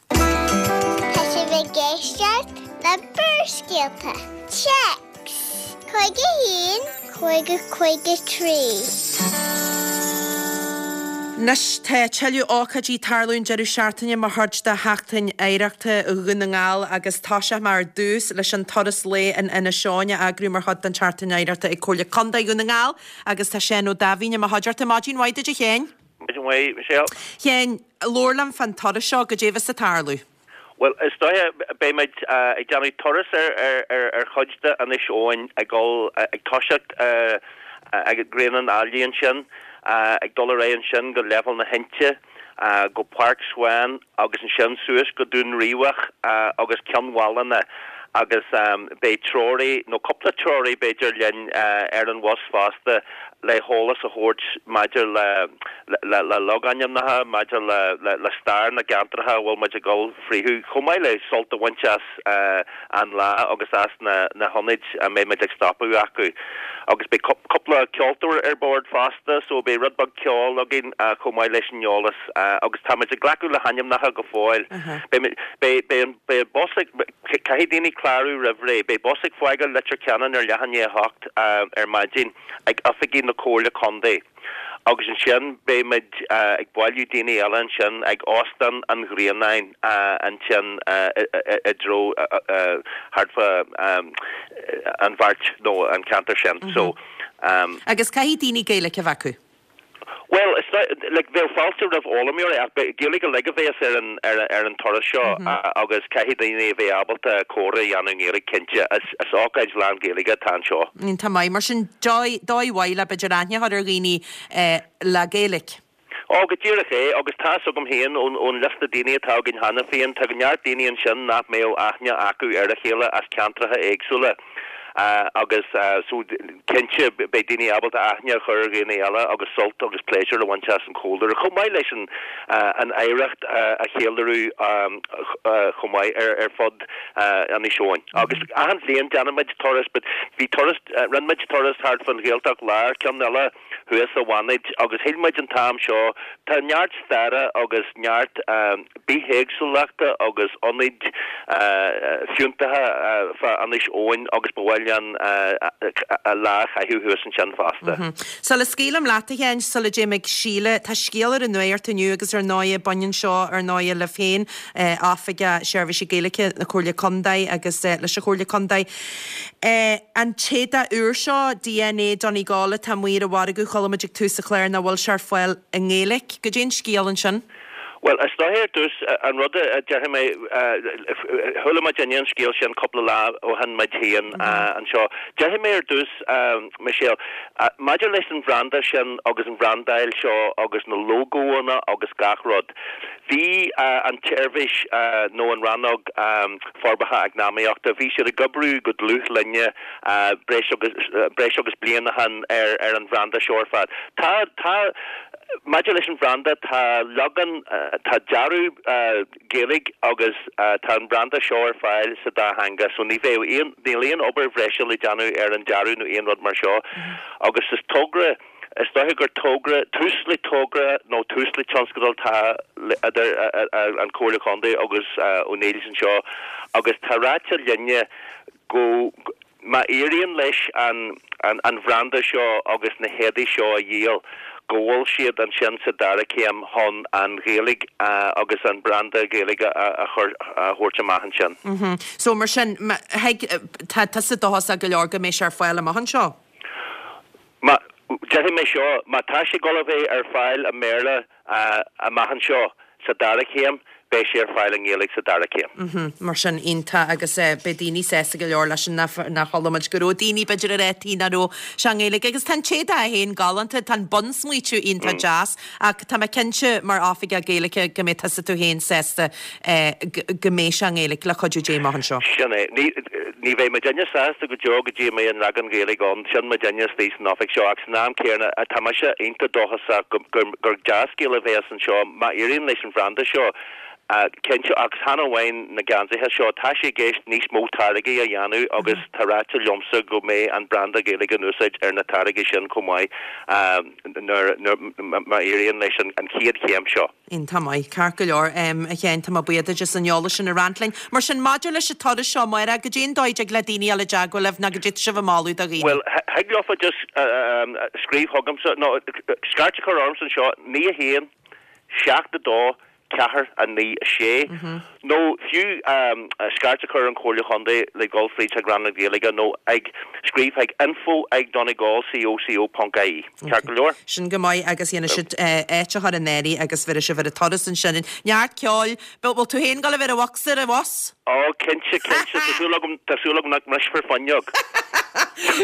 Tá sibh ag éisteacht le Barrscéalta. Téacs 51 50 53. Anois tá tuilleadh ócáidí ag tarlú an deireadh seachtaine mar chuid de Sheachtain Oidhreachta Dhún na nGall agus toiseoidh mé ar dtús leis an turas lae in Inis Eoghain a eagraíodh mar chuid den tSeachtain Oidhreachta ag Comhairle Contae Dhún na nGall agus tá Seán Ó Daimhín i mo chuideachta. Maidin mhaith duit a Sheáin. Maidin mhaith, Michelle. Sheáin, labhair liom fán turas seo, goidé a bheas ag tarlú. Bhuel, is dóiche, beidh muid ag déanamh turas ar chuid d'Inis Eoghain, ag dul, ag toiseacht ag Grianán Ailigh ansin, ag dul ar aghaidh ansin go Leibhéal na hInte, go Páirc Swan agus ansin suas go Dún Riabhach agus Ceann Mhálanna agus beidh treoraí, nó cúpla treoraí b'fhéidir, linn ar an bhus fosta le heolas a thabhairt maidir le le logainmneacha, maidir le stair na gceantracha a bhfuil muid ag dul fríothu, chomh maith le sult a bhaint as an lá agus as na hionaid a mbeidh muid ag stopadh acu. Agus beidh cúpla ceoltóir ar bord fosta, so beidh rud beag ceoil againn chomh maith leis an eolas. Agus tá muid ag glacadh le hainmneacha go fóill. Beidh an bus ag, caithfidh daoine clárú roimh ré, beidh bus ag fágáil Leitir Ceanainn ar leath i ndiaidh a hocht ar maidin ag oifigí na Comhairle Contae. Agus ansin beidh muid ag bailiú daoine eile ansin ag Óstán an Ghrianáin ansin i dtreo thart fá an Bheairt nó an ceantar sin. So. Agus caithfidh daoine Gaeilge a bheith acu? Bhuel, is like bheadh fáilte roimh fhoghlaimeoirí ach Gaeilge uilig a bheas ar an ar an turas seo agus caithfidh daoine a bheith ábalta comhrá a dhéanamh i nGaeilge cinnte. Is ócáid lán-Ghaeilge atá anseo. Iontach maith. Mar sin, dóigh mhaith le b'fhéidir aithne a chur ar dhaoine le Gaeilge. Ó, go díreach é, agus tá's agam féin ón liosta daoine atá againn cheana féin, tá neart daoine ansin nach mbeadh aithne acu ar a chéile as ceantracha éagsúla. Agus so cinnte beidh daoine ábalta aithne a chur ar dhaoine eile agus sult agus pléisiúr a bhaint as an chomhluadar, chomh maith leis an an oidhreacht a cheiliúradh chomh maith ar fud Inis Eoghain. Agus achan bhliain déanann muid turas, but bhí turas, rinne muid turas thart fán Ghaeltacht Láir, ceann eile thuas sa Bhannaid agus shíl muid an t-am seo, tá neart staire agus neart bithéagsúlachta agus ionaid fiúntacha fá Inis Eoghain agus ba mhaith linn lá a chaitheamh thuas ansin fosta. Sula scaoilim leat, a Sheáin, sula dtéim ag Síle, tá scéal ar an nuacht inniu agus ar ndóighe baineann seo ar ndóighe libh féin, Oifigeach Seirbhísí Gaeilge na Comhairle Contae agus leis an Chomhairle Contae. An t-éadach úr seo, DNA Donegal, atá amuigh ar an mhargadh, chuala muid ag tús an chláir nach bhfuil sé ar fáil i nGaeilge. Goidé an scéal ansin? Bhuel, is dóiche ar dtús, an rud a déarfaidh mé, chuala muidinne an scéal sin cúpla lá ó shin muid féin anseo. Déarfaidh mé ar dtús, Michelle, maidir leis an bhranda sin agus an bhrandáil seo agus na lógóanna agus gach rud, bhí an tseirbhís nó an rannóg forbartha eacnamaíochta, bhí siad ag oibriú go dlúth linne breis agus, breis agus bliain ó shin ar ar an bhranda seo ar fad. Tá, tá. Maidir leis an bhranda, tá leagan, tá dearadh Gaeilge agus tá an branda seo ar fáil sa dá theanga so ní bheidh aon, níl aon obair bhreise le déanamh ar an dearadh nó aon rud mar seo agus is togra, is dóiche gur togra, tús le togra nó tús le tionscadal atá idir an Chomhairle Contae agus O'Neill's anseo agus tá ráite linne go, Má éiríonn leis an an bhranda seo agus na héadaí seo a dhíol, go bhfuil siad ansin sa dara céim chun an Ghaeilge agus an branda Gaeilge a chur, a thabhairt amach ansin. So mar sin, thuig, tá tusa dóchasach go leor go mbeidh sé ar fáil amach anseo? Má, déarfaidh mé seo, má tá sé ag dul a bheith ar fáil i mBéarla amach anseo sa dara céim, beidh sé ar fáil i nGaeilge sa dara céim. Mar sin, iontach agus beidh daoine sásta go leor leis sin nach chuala muid go raibh daoine b'fhéidir ag rá nach raibh sé i nGaeilge agus tá an t-éadach é féin galánta, tá an bunsmaoitiú iontach deas ach tá mé cinnte mar oifigeach Gaeilge go mbeidh tusa tú féin sásta go mbeidh sé i nGaeilge le cuidiú Dé amach anseo. Sin é. Ní, ní bheidh muidinne sásta go deo go dtí a mbeidh an leagan Gaeilge ann, sin muidinne istigh san oifig seo ach san am céanna tá mise iontach dóchasach go, gur, gur dea-scéal a bheas anseo má éiríonn leis an bhranda seo, cinnte, ach chan amháin na geansaithe seo, tá sé i gceist níos mó táirgí a dhéanamh agus tá ráite liomsa go mbeidh an branda Gaeilge in úsáid ar na táirgí sin chomh maith nuair, nuair, má éiríonn leis an chéad chéim seo. Iontach maith. Ceart go leor, a Sheáin, tá mé buíoch duit as an eolas sin a roinnt linn. Mar sin, maidir leis an turas seo amárach, goidé an dóigh a dtig le daoine a dhul i dteagmháil libh nó goidé tá sibh ag moladh do dhaoine? Bhuel, thig leofa just scríobh chugamsa, nó scairt a chur ormsa anseo, 9 1 7 2 4 9 6, nó fiú scairt a chur ar an Chomhairle Chontae le dhul fríd chuig Rannóg na Gaeilge nó ag scríobh chuig info ag donegalcoco ponc ie. Ceart go leor? Sin go maith agus dhéanfaidh siad áit a chur in áirithe agus bheirfidh sibh ar an turas ansin. Neart ceoil. Bhfuil tú féin ag dul a bheith ar an bhocsa ar an bhus? Ó, cinnte, cinnte. Tá súil agam, tá súil agam nach mbrisfear fuinneog.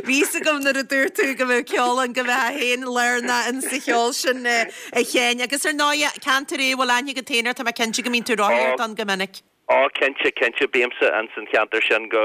Bhí fhios agam nuair a dúirt tú go mbeadh ceol ann go mbeifeá féin lárnach in sa cheol sin, a Sheáin. Agus ar ndóighe, ceantar é a bhfuil aithne agat féin air, tá mé cinnte go mbíonn tú ag rothaíocht ann go minic. Ó, cinnte, cinnte, bímse ins an cheantar sin go,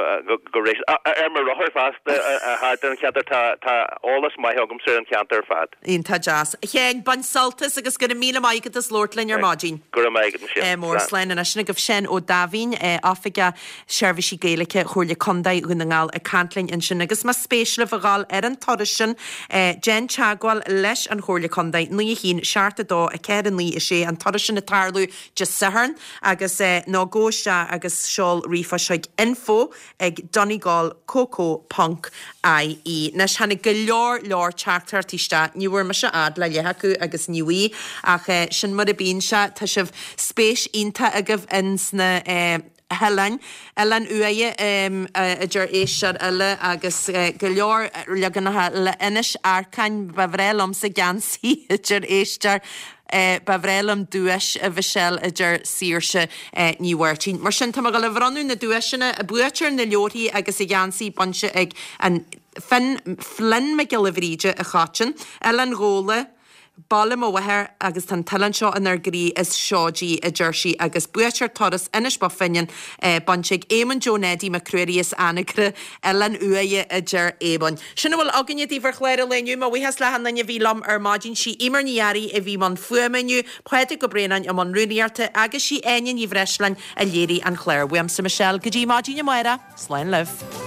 go, ar mo rothar fosta, thart ar an cheantar, tá, tá eolas maith agamsa ar an cheantar ar fad. Iontach deas. A Sheáin, bain sult as agus go raibh míle maith agat as labhairt linn ar maidin. Go raibh maith agat, Michelle. Mór slán anois. Sin agaibh Seán Ó Daimhín, Oifigeach Seirbhísí Gaeilge Chomhairle Contae Dhún na nGall ag caint linn ansin agus más spéis libh a dhul ar an turas sin, déan teagmháil leis an Chomhairle Contae, 9 1 7 2 4 9 6, an turas sin ag tarlú Dé Sathairn agus nó gabh isteach agus seol ríomhphost chuig info ag donegalcoco ponc ie. Anois tháinig go leor leor teachtaireachtaí isteach, ní bhfuair mise fhad le leath acu agus ní bhí ach sin mar a bíonn sé, tá sibh spéis iontach agaibh ins na hoileáin, Oileán Uaighe a deir éisteoir eile agus go leor leaganacha eile, Inis Arcáin, ba bhreá liomsa geansaí a deir éisteoir, ba bhreá liom duais a Mhichelle a deir Saoirse Ní Mháirtín. Mar sin tá mé ag dul a bhronnadh na duaiseanna, buaiteoir na leabharthaí agus an gheansaí bainte ag an Finn, Flynn Mac Giolla Bhríde a Choiteann, Oileán Ghabhla, Baile mo mháthar agus tá an t-oileán seo inár gcroí is seoid í, a deir sí, agus buaiteoir turas Inis Bó Finne bainte ag Éamonn Joe Neidí Mac Ruairí as Anagaire, Oileán Uaighe, a deir Éamonn. Sin a bhfuil againne daoibh ar chlár an lae inniu. Mo bhuíochas le hachan duine a bhí liom ar maidin. Sí Eimear Ní Fhearraigh a bhí i mbun fuaime inniu, Pádraig Ó Braonáin i mbun rúnaíochta agus sí Áine Ní Bhreisleáin a léirigh an clár. Uaimse Michelle go dtí maidin amárach, slán libh.